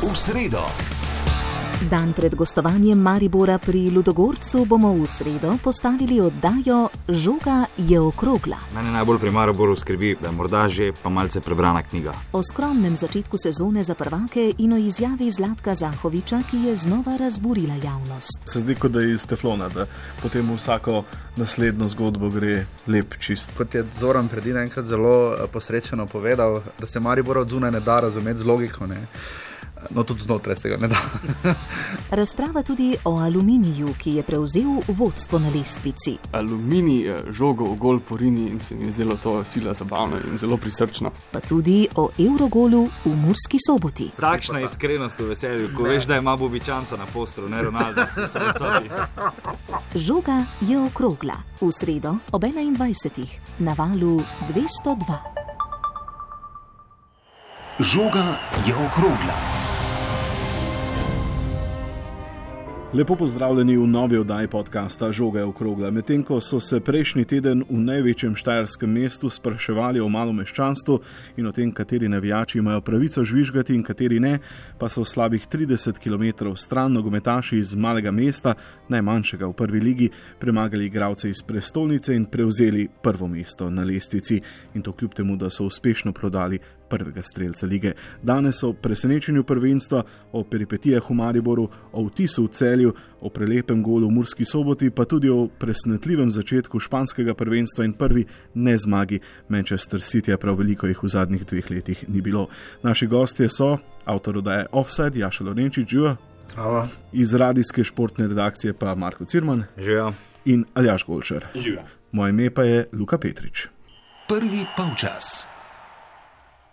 v sredo. Dan pred gostovanjem Maribora pri Ludogorcu bomo v sredo postavili oddajo Žoga je okrogla. Mene najbolj pri Mariboru skrbi, da je morda že pa malce prebrana knjiga. O skromnem začetku sezone za prvake in o izjavi Zlatka Zahoviča, ki je znova razburila javnost. Se zdi, kot da je iz teflona, da potem vsako naslednjo zgodbo gre lep čist. Kot je Zoran Predina enkrat zelo posrečeno povedal, da se Maribora od zunaj ne da razumeti z logiko, ne? No, tudi znotraj se ga ne da. Razprava tudi o Aluminiju, ki je prevzel vodstvo na lestvici. Aluminij je žogo v gol porini in se mi je zdelo to sila zabavno in zelo prisrčno. Pa tudi o Eurogolu v Murski Soboti. Takšna iskrenost v veselju, ko veš, da ima Bobičanca na postru, ne Ronalda. Žoga je okrogla. V sredo ob 21. na valu 202. Žoga je okrogla. Lepo pozdravljeni v novi oddaji podcasta Žoga je okrogla. Medtem ko so se prejšnji teden v največjem štajerskem mestu spraševali o malomeščanstvu in o tem, kateri navijači imajo pravico žvižgati in kateri ne, pa so slabih 30 km stran nogometaši iz malega mesta, najmanjšega v prvi ligi, premagali igralce iz prestolnice in prevzeli prvo mesto na lestvici. In to kljub temu, da so uspešno prodali prvega strelca lige. Danes o presenečenju prvenstva, o peripetijah v Mariboru, o vtisu v Celju, o prelepem golu v Murski Soboti, pa tudi o presenetljivem začetku španskega prvenstva in prvi nezmagi Manchester City, prav veliko jih v zadnjih 2 letih ni bilo. Naši gostje so avtor oddaje Offside, Jaša Lorenčič, živa. Zdravo. Iz radijske športne redakcije pa Marko Cirman. Živa. In Aljaž Golšar. Živa. Moje ime pa je Luka Petrič. Prvi polčas.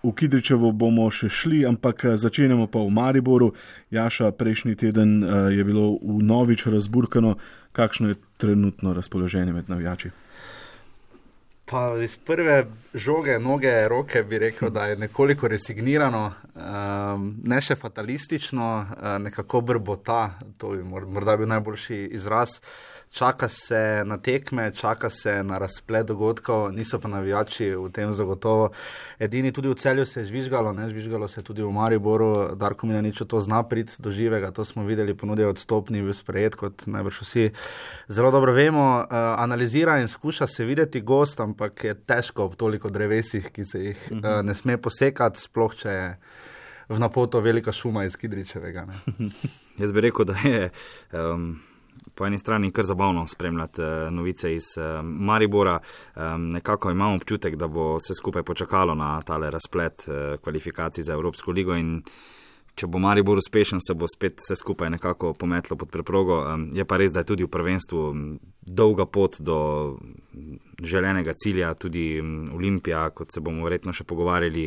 V Kidričevo bomo še šli, ampak začenjamo pa v Mariboru. Jaša, prejšnji teden je bilo vnovič razburkano. Kakšno je trenutno razpoloženje med navijači? Pa iz prve žoge, noge, roke bi rekel, da je nekoliko resignirano, ne še fatalistično, nekako brbota, to bi morda bil najboljši izraz. Čaka se na tekme, čaka se na razplet dogodkov, niso pa navijači v tem zagotovo. Edini tudi v Celju se je žvižgalo, ne, žvižgalo se je tudi v Mariboru, Darko Milanič to zna priti do živega, to smo videli, ponudil odstopni bil sprejet, kot najbrž vsi zelo dobro vemo, analizira in skuša se videti gost, ampak je težko ob toliko drevesih, ki se jih ne sme posekati, sploh če je v napoto velika šuma iz Kidričevega. Ne. Jaz bi rekel, da je po eni strani kar zabavno spremljati novice iz Maribora. Nekako imamo občutek, da bo se skupaj počakalo na tale razplet kvalifikacij za Evropsko ligo in če bo Maribor uspešen, se bo spet vse skupaj nekako pometlo pod preprogo. Je pa res, da je tudi v prvenstvu dolga pot do želenega cilja, tudi Olimpija, kot se bomo verjetno še pogovarjali,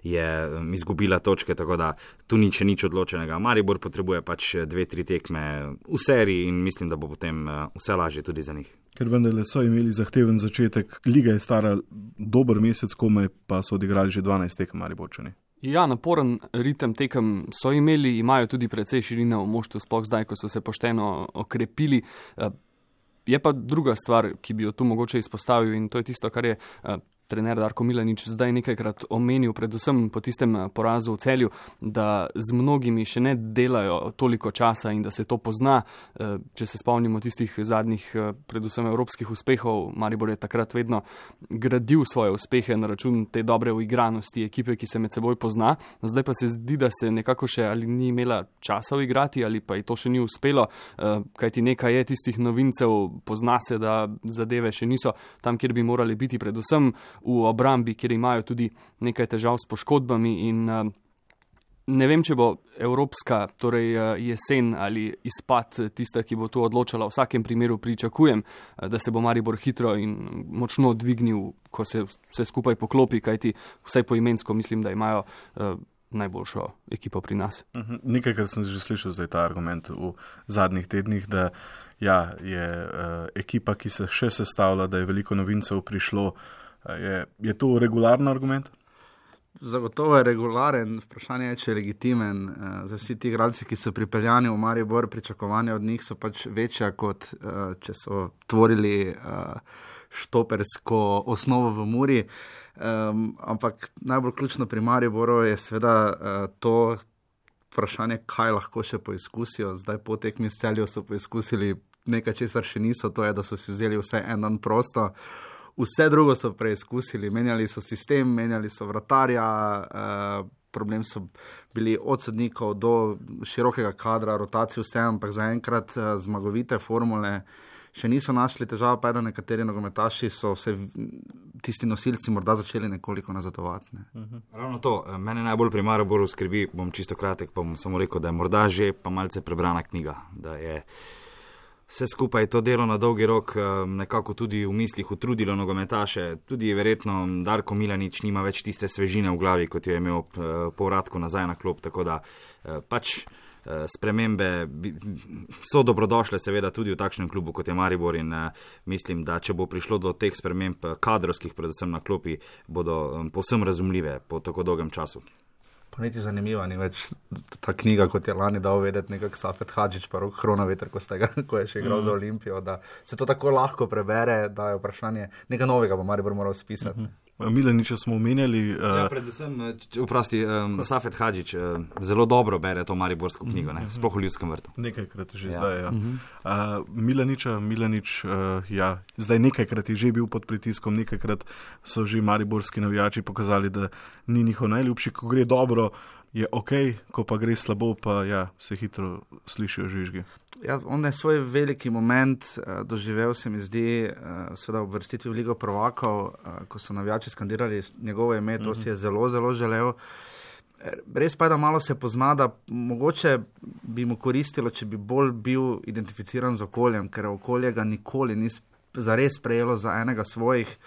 je izgubila točke, tako da tu ni še nič odločenega. Maribor potrebuje pač 2-3 tekme v seriji in mislim, da bo potem vse lažje tudi za njih. Ker vendarle so imeli zahteven začetek, liga je stara dober mesec komaj, pa so odigrali že 12 tekem Mariborčani. Ja, naporen ritem tekem so imeli, imajo tudi precej širine v moštvu, sploh zdaj, ko so se pošteno okrepili. Je pa druga stvar, ki bi jo tu mogoče izpostavil in to je tisto, kar je trener Darko Milanič zdaj nekajkrat omenil, predvsem po tistem porazu v Celju, da z mnogimi še ne delajo toliko časa in da se to pozna. Če se spomnimo tistih zadnjih, predvsem evropskih uspehov, Maribor je takrat vedno gradil svoje uspehe na račun te dobre uigranosti ekipe, ki se med seboj pozna. Zdaj pa se zdi, da se nekako še ali ni imela časa uigrati ali pa ji to še ni uspelo, kajti nekaj je tistih novincev, pozna se, da zadeve še niso tam, kjer bi morali biti, predvsem v obrambi, kjer imajo tudi nekaj težav s poškodbami in ne vem, če bo evropska, torej jesen ali izpad tista, ki bo tu odločala. V vsakem primeru pričakujem, da se bo Maribor hitro in močno dvignil, ko se vse skupaj poklopi, kajti vsaj poimensko mislim, da imajo najboljšo ekipo pri nas. Nekaj, kar sem že slišal zdaj ta argument v zadnjih tednih, da ja, je ekipa, ki se še sestavlja, da je veliko novincev prišlo. Je to regularen argument? Zagotovo je regularen, vprašanje je, če je legitimen. Za vsi ti igralci, ki so pripeljani v Maribor, pričakovanja od njih so pač večja, kot če so tvorili štopersko osnovo v Muri. Ampak najbolj ključno pri Mariboru je seveda to, vprašanje, kaj lahko še poizkusijo. Zdaj po tekmi s Celjem so poizkusili nekaj, česar še niso, to je, da so si vzeli vse en dan prosto. Vse drugo so preizkusili, menjali so sistem, menjali so vratarja, problem so bili od sodnikov do širokega kadra, rotacije vse, ampak zaenkrat zmagovite formule še niso našli. Težava pa je, da nekateri nogometaši so vse tisti nosilci morda začeli nekoliko nazadovati. Ravno to, mene najbolj pri Mariboru skrbi, bom čisto kratek, pa bom samo rekel, da je morda že pa malce prebrana knjiga, da je vse skupaj to delo na dolgi rok nekako tudi v mislih utrudilo nogometaše. Tudi verjetno Darko Milanič nima več tiste svežine v glavi, kot jo je imel povratku nazaj na klop, tako da pač spremembe so dobrodošle seveda tudi v takšnem klubu, kot je Maribor, in mislim, da če bo prišlo do teh sprememb kadrovskih, predvsem na klopi, bodo povsem razumljive po tako dolgem času. Pa niti zanimiva ni več ta knjiga, kot je lani dal vedeti nekak Safet Hadžić pa Rok Hronaveter, ko je še igral za Olimpijo, da se to tako lahko prebere, da je vprašanje, nekaj novega bo Maribor moral spisati. Milaniča smo omenjali. Ja, predvsem, Safet Hadžić zelo dobro bere to mariborsko knjigo, sploh v Ljudskem vrtu. Nekajkrat že zdaj, ja. Milanič, ja, zdaj nekajkrat je že bil pod pritiskom, nekajkrat so že mariborski navijači pokazali, da ni njihov najljubši, ko gre dobro, je ok, ko pa gre slabo, pa ja, se hitro slišijo žvižgi. Ja, on je svoj veliki moment doživel, se mi zdi, seveda v vrstitvi v Ligo prvakov, ko so navijači skandirali njegovo ime, to si je zelo, zelo želel. Res pa je, da malo se pozna, da mogoče bi mu koristilo, če bi bolj bil identificiran z okoljem, ker okolje ga nikoli ni zares prejelo za enega svojih.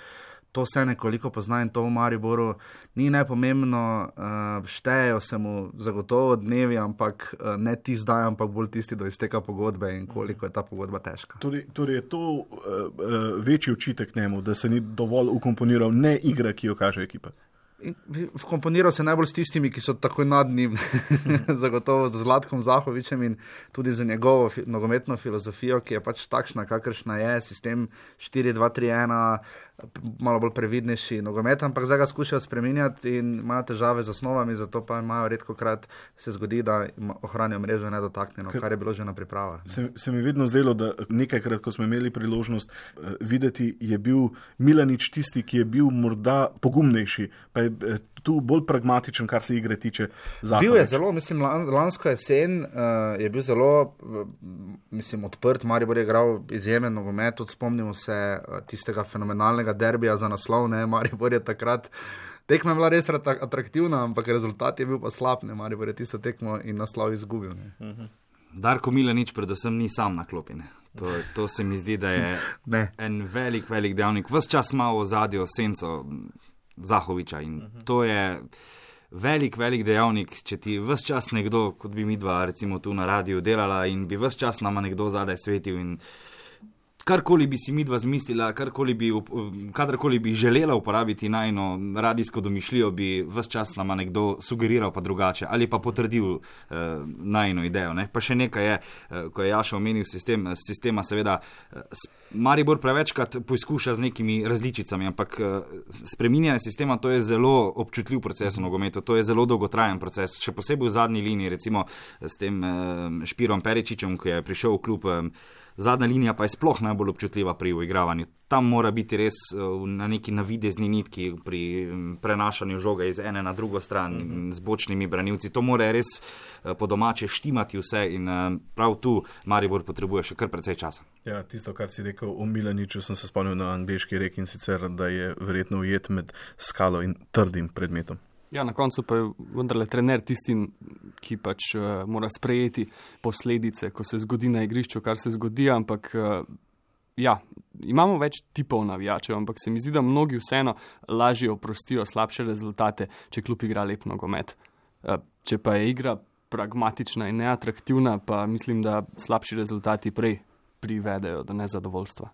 To se nekoliko pozna in to v Mariboru ni nepomembno, štejejo se mu zagotovo dnevi, ampak ne ti zdaj, ampak bolj tisti do izteka pogodbe in koliko je ta pogodba težka. Torej je to večji očitek njemu, da se ni dovolj ukomponiral ne igra, ki jo kaže ekipa. Komponiral se najbolj s tistimi, ki so takoj nad njim, zagotovo z Zlatkom Zahovičem in tudi za njegovo nogometno filozofijo, ki je pač takšna, kakršna je, sistem 4-2-3-1, malo bolj previdnejši nogomet, ampak zdaj ga skušajo spreminjati in imajo težave z osnovami, zato pa imajo redkokrat se zgodi, da ohranijo mrežo nedotaknjeno, kar je bilo že na pripravah. Se mi vedno zdelo, da nekajkrat, ko smo imeli priložnost videti, je bil Milanič tisti, ki je bil morda pogumnejši, pa je tu bolj pragmatičen, kar se igre tiče. Zahovič. Bil je zelo, mislim, lansko jesen je bil zelo, mislim, odprt. Maribor je igral izjemen nogomet, tudi spomnimo se tistega fenomenalnega derbija za naslov, ne, Maribor je takrat, tekma je bila res atraktivna, ampak rezultat je bil pa slab, ne, Maribor je tisto tekmo in naslov izgubil, ne. Darko Milanič predvsem ni sam na klopi, ne. To se mi zdi, da je en velik dejavnik. Ves čas ima v ozadju senco Zahoviča in to je velik dejavnik, če ti ves čas nekdo, kot bi mi dva recimo tu na radiju delala in bi ves čas nama nekdo zadaj svetil in karkoli bi si midva zmislila, kadarkoli bi želela uporabiti najino radijsko domišljijo, bi ves čas nama nekdo sugeriral pa drugače ali pa potrdil najino idejo. Ne? Pa še nekaj je, ko je Jaša omenil sistema, seveda Maribor prevečkrat poizkuša z nekimi različicami, ampak spreminjanje sistema, to je zelo občutljiv proces v nogometu, to je zelo dolgotrajen proces, še posebej v zadnji liniji, recimo s tem Špirom Peričičem, ki je prišel v klub. Zadnja linija pa je sploh najbolj občutljiva pri uigravanju. Tam mora biti res na neki navidezni nitki pri prenašanju žoga iz ene na drugo stran z bočnimi branilci. To mora res po domače štimati vse in prav tu Maribor potrebuje še kar precej časa. Ja, tisto, kar si rekel o Milaniču, sem se spomnil na angleški rek in sicer, da je verjetno ujet med skalo in trdim predmetom. Ja, na koncu pa je vendarle trener tisti, ki pač mora sprejeti posledice, ko se zgodi na igrišču, kar se zgodi, ampak ja, imamo več tipov navijačev, ampak se mi zdi, da mnogi vseeno lažje oprostijo slabše rezultate, če klub igra lep nogomet. Če pa je igra pragmatična in neatraktivna, pa mislim, da slabši rezultati prej privedejo do nezadovoljstva.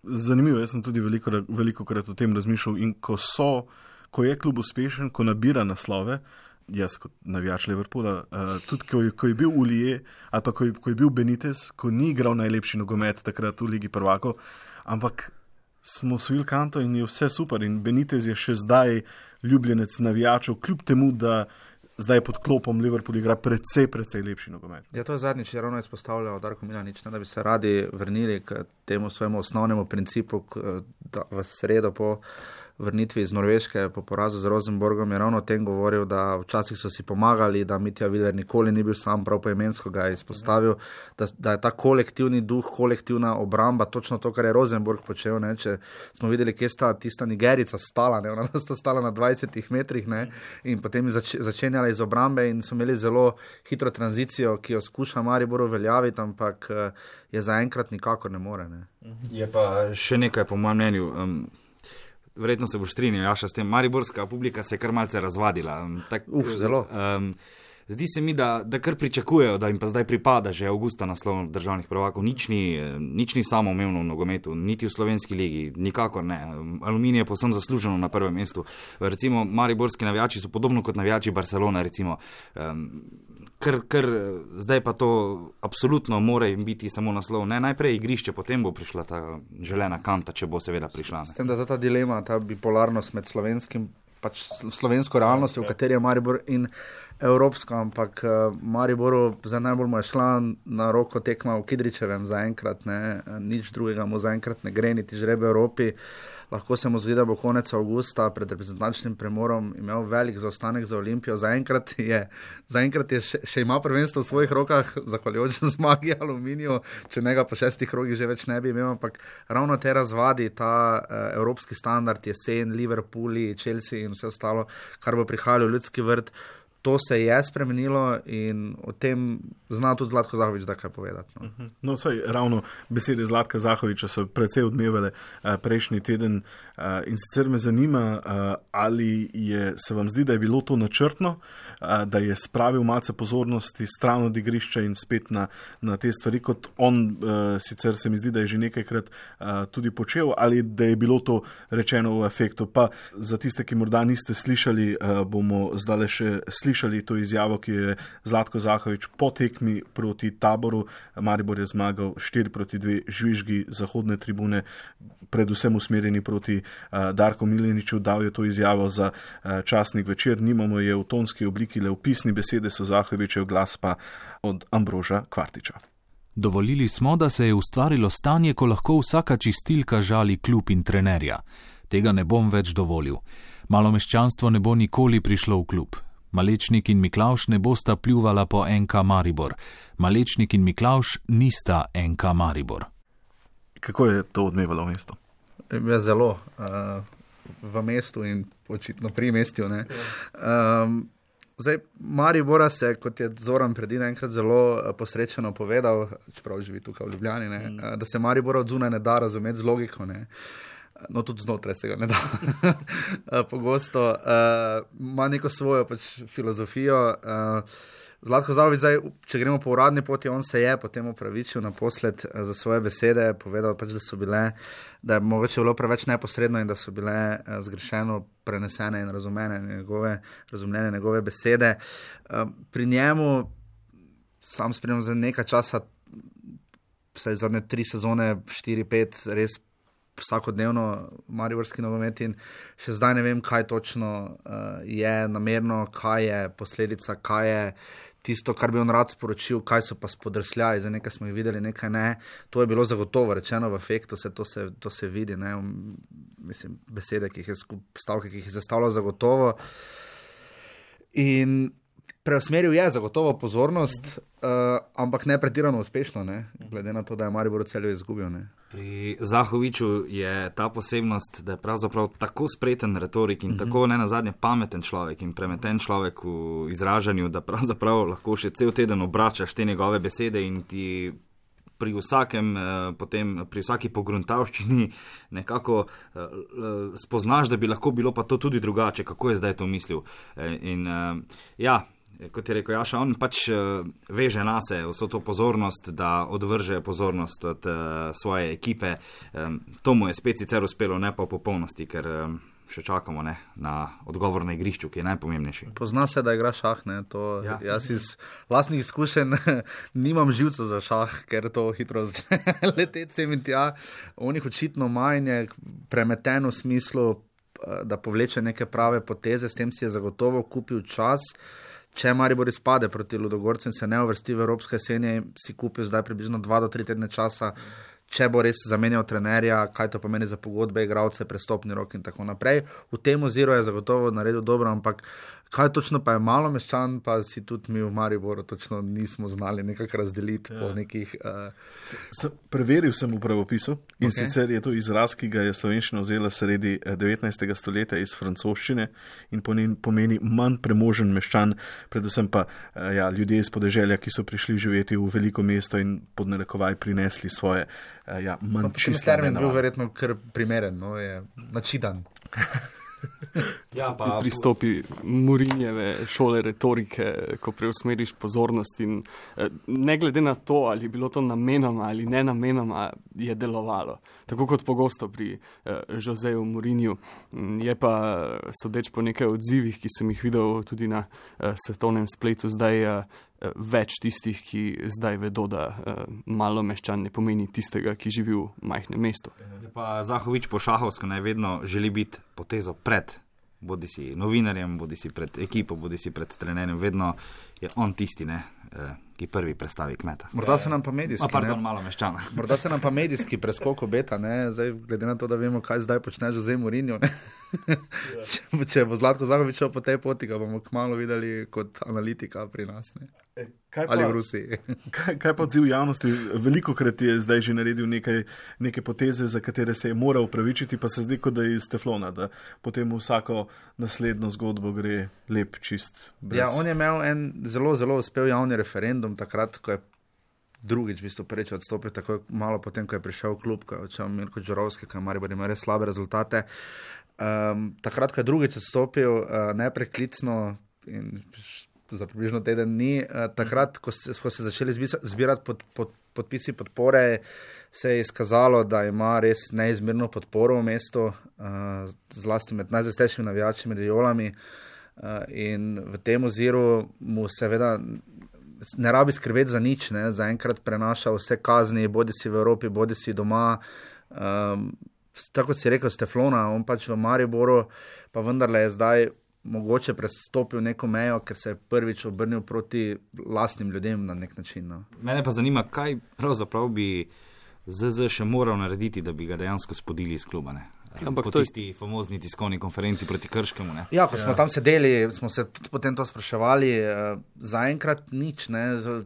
Zanimivo, jaz sem tudi velikokrat o tem razmišljal in ko je klub uspešen, ko nabira naslove, jaz kot navijač Liverpoola, tudi ko je bil Ulije ali pa ko je bil Benitez, ko ni igral najlepši nogomet takrat v Ligi prvakov, ampak smo osvojili kanto in je vse super in Benitez je še zdaj ljubljenec navijačev, kljub temu, da zdaj pod klopom Liverpool igra precej lepši nogomet. Ja, to je zadnjič ravno izpostavljal Darko Milanič, da bi se radi vrnili k temu svojemu osnovnemu principu, da v sredo po vrnitvi iz Norveške po porazu z Rosenborgom je ravno o tem govoril, da včasih so si pomagali, da Mitja Viler nikoli ni bil sam, prav poimensko ga je izpostavil, da je ta kolektivni duh, kolektivna obramba, točno to, kar je Rosenborg počel, ne? Če smo videli, kje sta tista Nigerica stala, ne? Ona sta stala na 20 metrih, ne? In potem začenjala iz obrambe in so imeli zelo hitro tranzicijo, ki jo skuša Maribor uveljaviti, ampak je zaenkrat nikakor ne more. Ne? Je pa še nekaj po mojem mnenju. Verjetno se boš strinjal, Jaša, s tem. Mariborska publika se je kar malce razvadila. Zelo. Zdi se mi, da kar pričakujejo, da jim pa zdaj pripada že avgusta naslov državnih prvakov. Nič ni samoumevno v nogometu, niti v slovenski ligi, nikakor ne. Aluminij je povsem zasluženo na prvem mestu. Recimo, mariborski navijači so podobno kot navijači Barcelone, recimo. Ker zdaj pa to absolutno mora jim biti samo naslov. Ne, najprej igrišče, potem bo prišla ta želena kanta, če bo seveda prišla. S tem, da je ta dilema, ta bipolarnost med slovensko realnostjo, v kateri je Maribor in evropsko, ampak Mariboru zdaj najbolj mu je šla na roko tekma v Kidričevem zaenkrat, ne, nič drugega mu zaenkrat ne gre, niti žreb Evropi. Lahko se mu zdi, da bo konec avgusta pred reprezentančnim premorom imel velik zaostanek za Olimpijo. Zaenkrat je še ima prvenstvo v svojih rokah, zahvaljujoč zmagi Aluminiju, če ne ga po 6 krogih že več ne bi imel, ampak ravno te razvadi, ta evropski standard, jesen, Liverpooli, Chelsea in vse ostalo, kar bo prihajalo v Ljudski vrt, to se je spremenilo in o tem zna tudi Zlatko Zahovič da kaj povedati. No, no saj ravno besede Zlatka Zahoviča so precej odmevale prejšnji teden in sicer me zanima, ali se vam zdi, da je bilo to načrtno, da je spravil malce pozornosti stran od igrišča in spet na te stvari, kot on sicer se mi zdi, da je že nekajkrat tudi počel, ali da je bilo to rečeno v efektu. Pa za tiste, ki morda niste slišali, bomo zdaj še slišali to izjavo, ki je Zlatko Zahovič po tekmi proti Taboru. Maribor je zmagal 4-2, žvižgi zahodne tribune, predvsem usmerjeni proti Darku Milaniču, dal je to izjavo za časnik Večer. Nimamo je v tonski obliki, le v pisni besede so Zahovičev, glas pa od Ambroža Kvartiča. Dovolili smo, da se je ustvarilo stanje, ko lahko vsaka čistilka žali klub in trenerja. Tega ne bom več dovolil. Malomeščanstvo ne bo nikoli prišlo v klub. Malečnik in Miklavž ne bosta pljuvala po NK Maribor. Malečnik in Miklavž nista NK Maribor. Kako je to odmevalo v mestu? Ja, zelo. V mestu in očitno pri mestju. Ne? Zdaj, Maribora se, kot je Zoran Predina enkrat zelo posrečeno povedal, čeprav živi tukaj v Ljubljani, ne? Da se Maribora od zunaj ne da razumeti z logiko, ne? No, tudi znotraj se ga ne da pogosto. Ima neko svojo filozofijo. Zlatko Zahovič, zdaj, če gremo po uradni poti, on se je potem opravičil naposled za svoje besede, povedal da je mogoče bilo preveč neposredno in da so bile zgrešeno prenesene in razumljene njegove besede. Pri njemu, sam spremljam za nekaj časa, vsaj zadnje 3 sezone, 4-5, res vsakodnevno mariborski nogomet in še zdaj ne vem, kaj točno je namerno, kaj je posledica, kaj je tisto, kar bi on rad sporočil, kaj so pa spodrsljaji, za nekaj smo jih videli, nekaj ne. To je bilo zagotovo rečeno v efektu, to se vidi, ne? Mislim, besede, stavke, ki jih je zastavljal zagotovo. In preusmeril je zagotovo pozornost, ampak ne pretirano uspešno, ne? Glede na to, da je Maribor v Celju izgubil. Ne? Pri Zahoviču je ta posebnost, da je pravzaprav tako spreten retorik in tako nenazadnje pameten človek in premeten človek v izražanju, da pravzaprav lahko še cel teden obračaš te njegove besede in ti pri vsaki pogruntavščini nekako spoznaš, da bi lahko bilo pa to tudi drugače, kako je zdaj to mislil. Kot je rekel Jaša, on pač veže nase vso to pozornost, da odvrže pozornost od svoje ekipe. To mu je spet sicer uspelo, ne pa v popolnosti, ker še čakamo na odgovor na igrišču, ki je najpomembnejši. Pozna se, da igra šah. Jaz iz vlastnih izkušenj nimam živcev za šah, ker to hitro začne leteti sem in tja. On jih očitno manj premeten v smislu, da povleče neke prave poteze, s tem si je zagotovo kupil čas. če Maribor izpade proti Ludogorcem, se ne uvrsti v evropske jeseni, si kupil zdaj približno 2 do 3 tedne časa, če bo res zamenjal trenerja, kaj to pomeni za pogodbe, igralce, prestopni rok in tako naprej. V tem oziru je zagotovo naredil dobro, ampak kaj točno pa je Malomeščan, pa si tudi mi v Mariboru točno nismo znali nekako razdeliti po nekih... Preveril sem v pravopisu in sicer je to izraz, ki ga je slovenščina vzela sredi 19. stoletja iz francoščine in pomeni manj premožen meščan, predvsem pa ljudje iz podeželja, ki so prišli živeti v veliko mesto in pod narekovaj prinesli svoje manj čiste termin bil verjetno kar primeren, je načidan. Pa pristopi Mourinjeve šole retorike, ko preusmeriš pozornost in ne glede na to, ali je bilo to namenoma ali ne namenoma, je delovalo. Tako kot pogosto pri Joseju Mourinju. Je pa, sodeč po nekaj odzivih, ki sem jih videl tudi na svetovnem spletu, zdaj več tistih, ki zdaj vedo, da Malomeščan ne pomeni tistega, ki živi v majhnem mestu. Pa Zahovič po šahovsko naj vedno želi biti potezo pred, bodi si novinarjem, bodi si pred ekipo, bodi si pred trenerjem, vedno je on tisti, ki prvi predstavi kmeta. Morda se nam pa medijski, Malomeščana. Morda se nam pa medijski preskok obeta, zdaj glede na to, da vemo, kaj zdaj počne Jose Mourinho, Če bo Zlatko Zahovič po tej poti, ga bomo kmalu videli kot analitika pri nas, ali v Rusiji. Kaj pa odziv javnosti? Velikokrat je zdaj že naredil neke poteze, za katere se je moral upravičiti, pa se zdi, kot da je iz teflona, da potem vsako naslednjo zgodbo gre lep, čist. On je imel en zelo, zelo uspel javni referendum takrat, ko je drugič, prvič odstopil, tako malo potem, ko je prišel v klub, ko je odšel Mirko Đurovski, ko je Maribor imel res slabe rezultate. Takrat, ko je drugič odstopil, nepreklicno in za približno teden dni, takrat, ko se začeli zbirati podpisi podpore, se je izkazalo, da ima res neizmerno podporo v mestu, zlasti med najzastejšimi navijači, med Violami, in v tem oziru mu seveda ne rabi skrbeti za nič, zaenkrat prenaša vse kazni, bodi si v Evropi, bodi si doma, tako si rekel, s teflona, on pač v Mariboru, pa vendarle je zdaj mogoče prestopil neko mejo, ker se je prvič obrnil proti lastnim ljudem na nek način. Mene pa zanima, kaj pravzaprav bi ZZ še moral narediti, da bi ga dejansko spodili iz kluba, po tisti famozni tiskovni konferenci proti Krškemu. Ko smo tam sedeli, smo se tudi potem to spraševali, zaenkrat nič.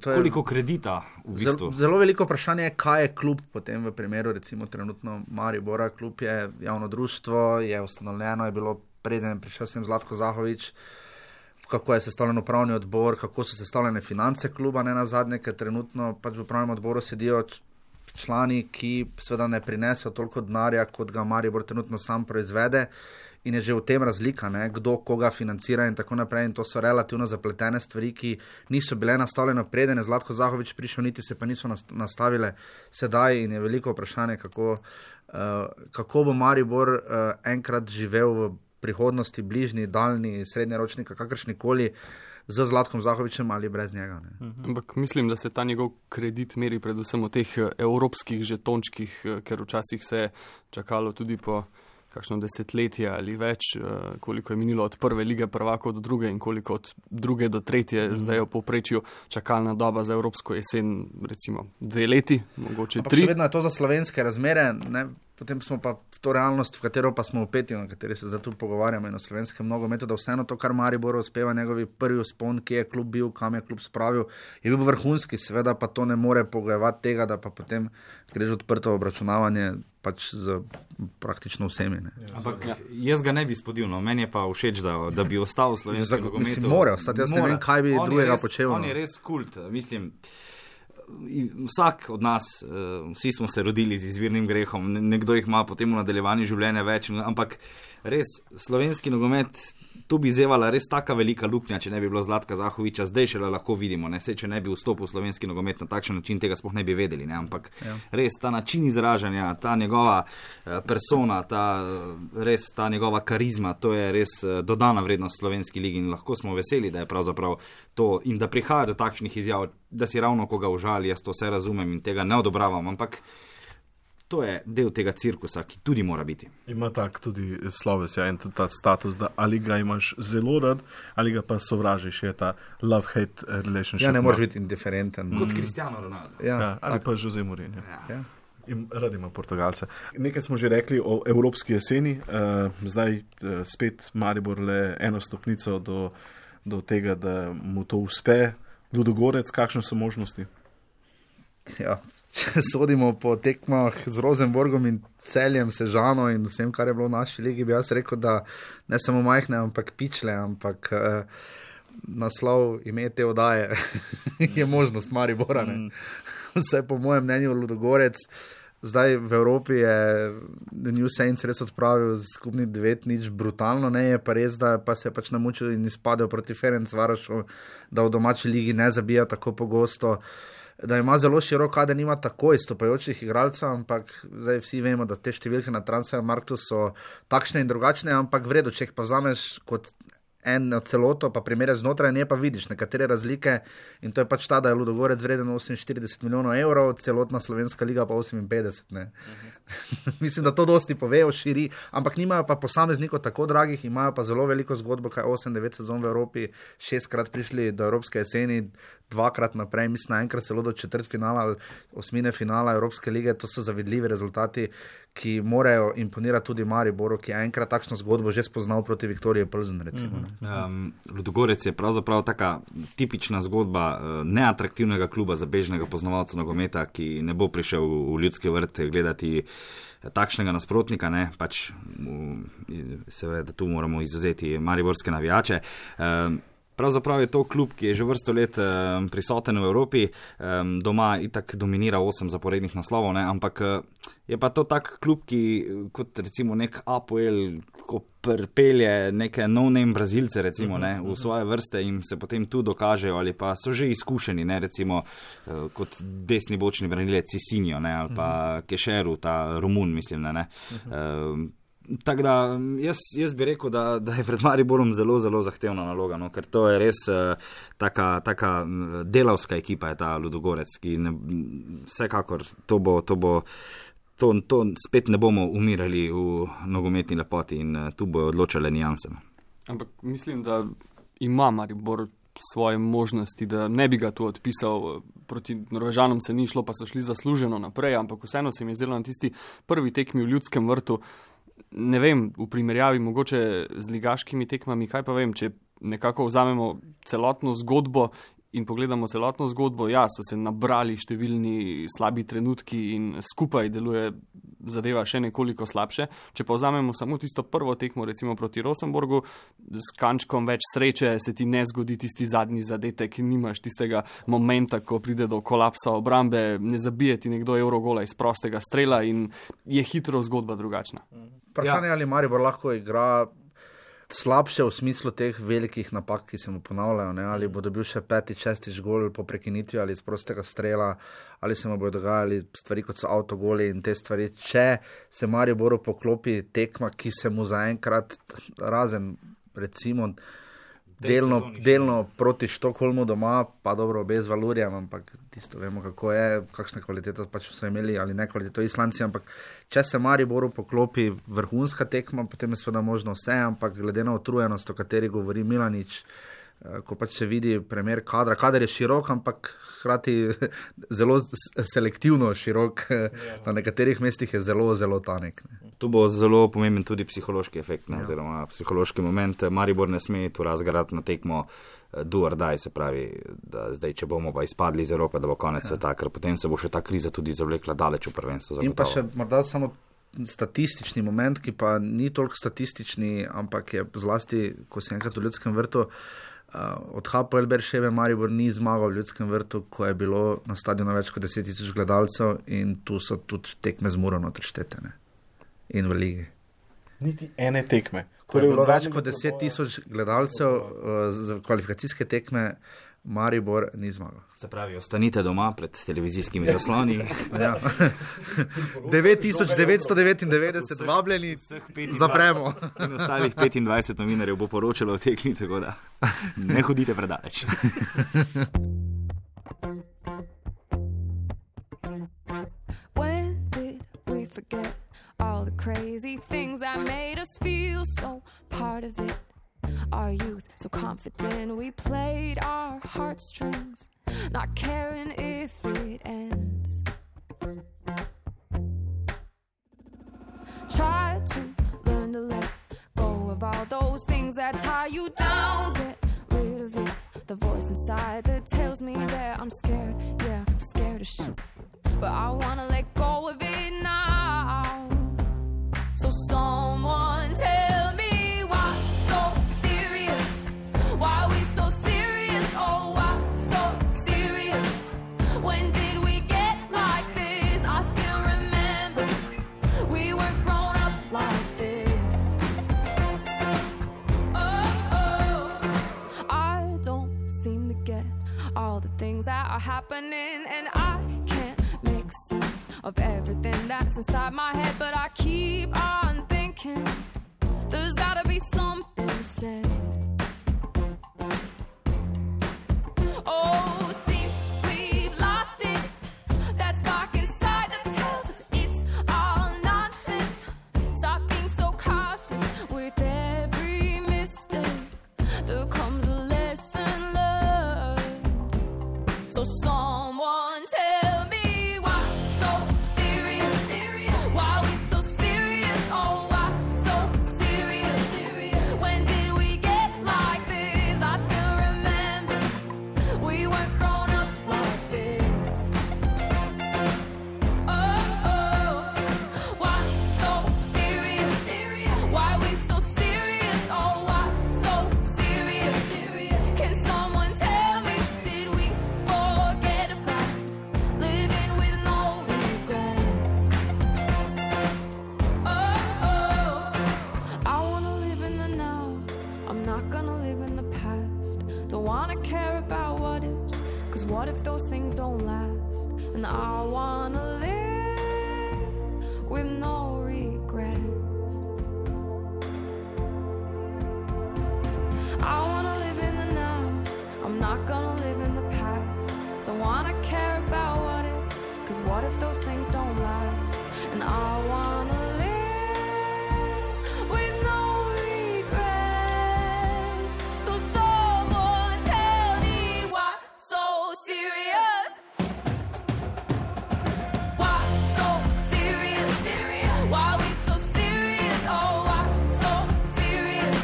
Koliko kredita v bistvu? Zelo veliko vprašanje je, kaj je klub potem v primeru, recimo trenutno Maribora. Klub je javno društvo, je ustanovljeno, je bilo preden prišel sem Zlatko Zahovič, kako je sestavljen upravni odbor, kako so sestavljene finance kluba, nenazadnje, ker trenutno pač v upravnem odboru sedijo člani, ki seveda ne prinesejo toliko denarja, kot ga Maribor trenutno sam proizvede, in je že v tem razlika, kdo koga financira in tako naprej, in to so relativno zapletene stvari, ki niso bile nastavljene preden je Zlatko Zahovič prišel, niti se pa niso nastavile sedaj, in je veliko vprašanje, kako bo Maribor enkrat živel v prihodnosti, bližnji, daljni, srednjeročni, kakršnikoli, z Zlatkom Zahovičem ali brez njega. Ampak mislim, da se ta njegov kredit meri predvsem v teh evropskih žetončkih, ker včasih se je čakalo tudi po kakšno desetletje ali več, koliko je minilo od prve lige prvakov do druge in koliko od druge do tretje, zdaj je v povprečju čakalna doba za evropsko jesen, recimo 2 leti, mogoče 3. Ampak še vedno je to za slovenske razmere, potem smo pa v to realnost, v katero pa smo upeti, na kateri se zdaj tu pogovarjamo in o slovenskem nogometu, da vseeno to, kar Mariboru uspeva, njegovi prvi vzpon, ki je klub bil, kam je klub spravil, je bil vrhunski, seveda pa to ne more pogojevati tega, da pa potem greš odprto obračunavanje pač z praktično vsemi. Ampak jaz ga ne bi spodil, meni je pa všeč, da bi ostal v slovenskem nogometu. Mislim, mora ostati, jaz ne vem, kaj bi drugega počel. On je res kult, mislim, vsak od nas, vsi smo se rodili z izvirnim grehom, nekdo jih ima potem v nadaljevanju življenja več, ampak res slovenski nogomet, tu bi zevala res taka velika luknja, če ne bi bilo Zlatka Zahoviča, zdaj šele lahko vidimo, če ne bi vstopil v slovenski nogomet na takšen način, tega sploh ne bi vedeli, ampak res ta način izražanja, ta njegova persona, res ta njegova karizma, to je res dodana vrednost slovenski ligi in lahko smo veseli, da je pravzaprav to in da prihaja do takšnih izjav, da si ravno koga užali, jaz to vse razumem in tega ne odobravam, ampak to je del tega cirkusa, ki tudi mora biti. Ima tak tudi sloves, ja, in tudi ta status, da ali ga imaš zelo rad, ali ga pa sovražiš, je ta love-hate relationship. Ja, ne moreš biti indiferenten. Kot Cristiano Ronaldo. Ja, ali pa Jose Mourinho. Ja. In rad ima Portugalce. Nekaj smo že rekli o evropski jeseni, zdaj spet Maribor le eno stopnico do tega, da mu to uspe. Ludogorec, kakšne so možnosti? Ja, če sodimo po tekmah z Rosenborgom in Celjem, Sežano in vsem, kar je bilo v naši ligi, bi jaz rekel, da ne samo majhne, ampak pičle, ampak naslov ime te oddaje je možnost Maribora. Vse po mojem mnenju Ludogorec. Zdaj v Evropi je The New Saints res odpravil skupni 9-0 brutalno, ne je pa res, da pa se je pač namučil in izpadel proti Ferencvarošu, da v domači ligi ne zabija tako pogosto, da ima zelo širok kader, nima tako izstopajočih igralcev, ampak zdaj vsi vemo, da te številke na Transfermarktu so takšne in drugačne, ampak v redu, če jih pa vzameš kot eno celoto, pa primerjaš znotraj, ne pa vidiš nekatere razlike in to je pač ta, da je Ludogorec vreden 48 milijonov evrov, celotna slovenska liga pa 58, ne. Mislim, da to dosti povejo, širi, ampak nimajo pa posameznikov tako dragih, imajo pa zelo veliko zgodbo, kaj 8-9 sezon v Evropi, 6-krat prišli do evropske jeseni, 2-krat naprej, mislim, enkrat celo do četrtfinala ali osmine finala Evropske lige, to so zavidljivi rezultati, ki morajo imponirati tudi Mariboru, ki je enkrat takšno zgodbo že spoznal proti Viktoriji Plzen, recimo. Ludogorec je pravzaprav taka tipična zgodba neatraktivnega kluba za bežnega poznavalca nogometa, ki ne bo prišel v Ljudski vrt gledati takšnega nasprotnika, ne, pač seveda tu moramo izvzeti mariborske navijače. Pravzaprav je to klub, ki je že vrsto let prisoten v Evropi, doma itak dominira 8 zaporednih naslovov, ne, ampak je pa to tak klub, ki kot recimo nek APOEL, ko pripelje neke no-name Brazilce recimo, ne, v svoje vrste in se potem tu dokažejo ali pa so že izkušeni, ne, recimo kot desni bočni branilec Cisinjo, ne, ali pa Kešeru, ta Romun, mislim, ne. Tako da jaz bi rekel, da je pred Mariborom zelo, zelo zahtevna naloga, no, ker to je res taka delavska ekipa je ta Ludogorec, ki vsekakor to spet ne bomo umirali v nogometni lepoti in tu bojo odločale nijanse. Ampak mislim, da ima Maribor svoje možnosti, da ne bi ga tu odpisal. Proti Norvežanom se ni šlo, pa so šli zasluženo naprej, ampak vseeno se mi je zdelo na tisti prvi tekmi v Ljudskem vrtu, ne vem, v primerjavi mogoče z ligaškimi tekmami, kaj pa vem, če nekako vzamemo celotno zgodbo in pogledamo celotno zgodbo, ja, so se nabrali številni slabi trenutki in skupaj deluje zadeva še nekoliko slabše. Če pa vzamemo samo tisto prvo tekmo, recimo proti Rosenborgu, s kančkom več sreče se ti ne zgodi tisti zadnji zadetek, nimaš tistega momenta, ko pride do kolapsa obrambe, ne zabije ti nekdo evrogola iz prostega strela in je hitro zgodba drugačna. Vprašanje, ali Maribor lahko igra slabše v smislu teh velikih napak, ki se mu ponavljajo, ne? Ali bo dobil še 5., 6. gol po prekinitvi ali iz prostega strela, ali se mu bodo dogajali stvari kot so avtogoli in te stvari. Če se Mariboru poklopi tekma, ki se mu zaenkrat razen recimo delno proti Štokholmu doma, pa dobro obe z Valurijem, ampak tisto vemo, kako je, kakšne kvalitete pač so imeli ali ne kvaliteto Islanci, ampak če se Mariboru poklopi vrhunska tekma, potem je seveda možno vse, ampak glede na utrujenost, o kateri govori Milanič, ko pač se vidi primer kadra. Kader je širok, ampak hkrati zelo selektivno širok, na nekaterih mestih je zelo, zelo tanek. Tu bo zelo pomemben tudi psihološki efekt, ne, oziroma psihološki moment. Maribor ne sme tu razgarati na tekmo do or die, se pravi, da zdaj, če bomo pa izpadli iz Evrope, da bo konec sveta, ker potem se bo še ta kriza tudi zavlekla daleč v prvenstvo. In pa še morda samo statistični moment, ki pa ni toliko statistični, ampak je zlasti, ko si enkrat v Ljudskem vrtu, od HPL Berševe Maribor ni zmagal v Ljudskem vrtu, ko je bilo na stadionu več kot 10,000 gledalcev in tu so tudi tekme z Muro notri štetene in v ligi. Niti ene tekme. Ko je bilo več kot 10,000 gledalcev za kvalifikacijske tekme, Maribor ni zmagal. Se pravi, ostanite doma pred televizijskimi zasloni. Ja. 9,999 vabljeni, zapremo. In ostalih 25 novinarjev bo poročalo o tekmi, tako da ne hodite predaleč. When did we crazy things that made us feel so part of it. Our youth, so confident, we played our heartstrings, not caring if it ends. Try to learn to let go of all those things that tie you down. Get rid of it, the voice inside that tells me that I'm scared, yeah, scared of shit. But I wanna let go of it now. So someone tell me why so serious? Why we so serious? Oh, why so serious? When did we get like this? I still remember we were grown up like this. Oh, I don't seem to get all the things that are happening, and I can't make sense of everything that's inside my head, but I keep on thinking there's gotta be something said. Oh, seems we've lost it. That spark inside that tells us it's all nonsense. Stop being so cautious with every mistake. There comes a lesson learned. So someone tell me why so serious? Why we so serious? Oh, why so serious? When did we get like this? I still remember we weren't grown up like this. Oh, why so serious? Why we so serious? Oh, why so serious? Can someone tell me, did we forget about living with no regrets? Oh, I wanna live in the now. I'm not gonna live in the past. Don't wanna care about what ifs, 'cause what if those things don't last? And I wanna live with no regrets. I wanna live in the now. I'm not gonna live in the past. Don't wanna care about what ifs, 'cause what if those things don't last? And I wanna live with no regrets. So someone tell me why so serious? Why so serious? Why we so serious? Oh, why so serious?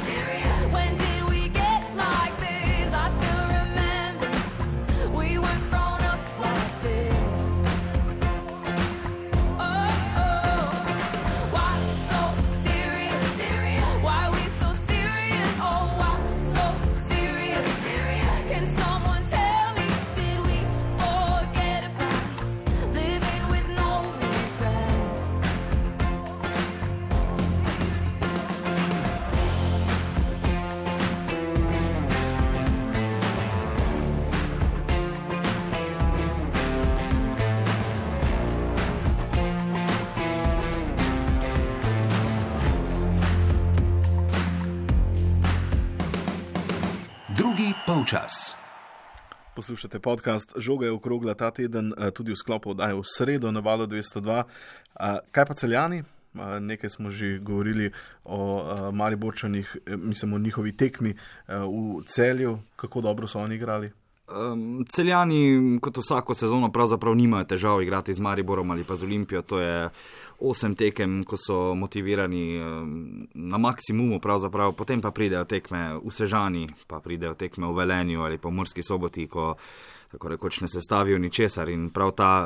When did we get like this? I still remember we weren't grown up like this. Oh, why so serious? Why we so serious? Oh, why so serious? Can someone tell me, did we forget about living with no regrets? Drugi polčas. Poslušate podcast Žoga je okrogla ta teden, tudi v sklopu oddaje v sredo na Valu 202. Kaj pa Celjani? Nekaj smo že govorili o Mariborčanih, mislim o njihovi tekmi v Celju. Kako dobro so oni igrali? Celjani kot vsako sezono pravzaprav nimajo težav igrati z Mariborom ali pa z Olimpijo. To je 8 tekem, ko so motivirani na maksimumu pravzaprav, potem pa pridejo tekme v Sežani, pa pridejo tekme v Velenju ali pa v Murski Soboti, ko tako rekoč ne sestavijo ničesar, in prav ta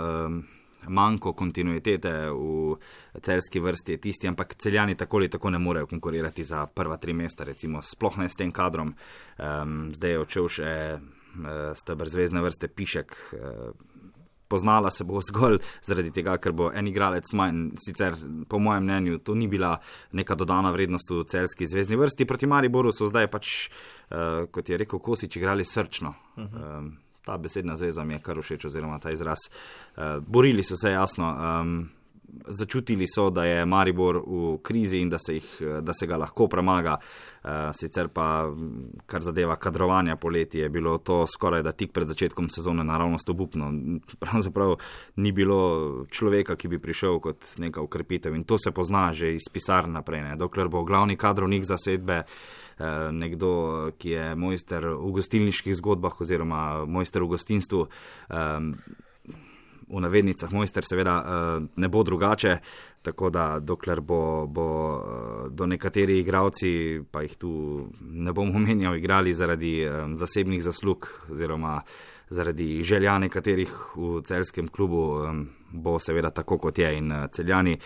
manko kontinuitete v celjski vrsti je tisti, ampak Celjani tako ali tako ne morejo konkurirati za prva 3 mesta, recimo sploh ne s tem kadrom. Zdaj je odšel še steber zvezdne vrste Pišek. Poznala se bo zgolj zaradi tega, ker bo en igralec manj. Sicer po mojem mnenju to ni bila neka dodana vrednost v celjski zvezdni vrsti. Proti Mariboru so zdaj pač, kot je rekel Kosič, igrali srčno. Ta besedna zveza mi je kar všeč, oziroma ta izraz. Borili so se, jasno. Začutili so, da je Maribor v krizi in da se ga lahko premaga. Sicer pa, kar zadeva kadrovanja poleti, je bilo to skoraj da tik pred začetkom sezone naravnost obupno. Pravzaprav ni bilo človeka, ki bi prišel kot neka ukrepitev in to se pozna že iz pisarn naprej. Ne. Dokler bo glavni kadrovnik zasedbe nekdo, ki je mojster v gostilniških zgodbah oziroma mojster v gostinstvu, v navednicah mojster seveda ne bo drugače, tako da dokler bo do nekateri igralci, pa jih tu ne bom omenjal, igrali zaradi zasebnih zaslug oziroma zaradi želja nekaterih v celjskem klubu, bo seveda tako kot je in Celjani.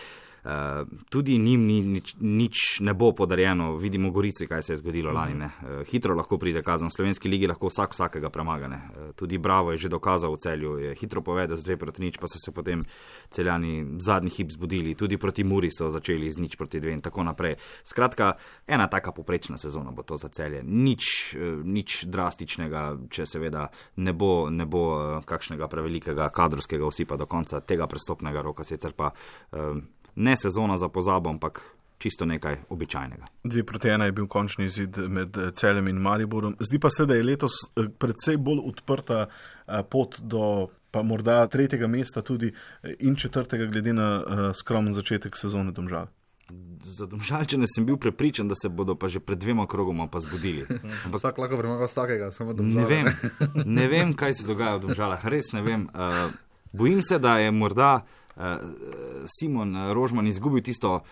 Tudi njim nič ne bo podarjeno. Vidimo Gorici, kaj se je zgodilo lani. Ne. Hitro lahko pride kazen. V slovenski ligi lahko vsakega premaga. Ne. Tudi Bravo je že dokazal v Celju, je hitro povedal z 2-0, pa so se potem Celjani zadnji hip zbudili. Tudi proti Muri so začeli z 0-2 in tako naprej. Skratka, ena taka poprečna sezona bo to za Celje. Nič drastičnega, če seveda ne bo kakšnega prevelikega kadrovskega osipa do konca tega prestopnega roka, sicer pa ne sezona za pozabo, ampak čisto nekaj običajnega. 2-1 je bil končni izid med Celjem in Mariborom. Zdi pa se, da je letos predvsej bolj odprta pot do pa morda 3. mesta tudi in 4. glede na skromen začetek sezone Domžal. Za Domžalčane sem bil prepričan, da se bodo pa že pred 2 krogoma pa zbudili. Vsak lahko premaga vsakega, samo Domžal. Ne vem, kaj se dogaja v Domžalah, res ne vem. Bojim se, da je morda Simon Rožman izgubil tisto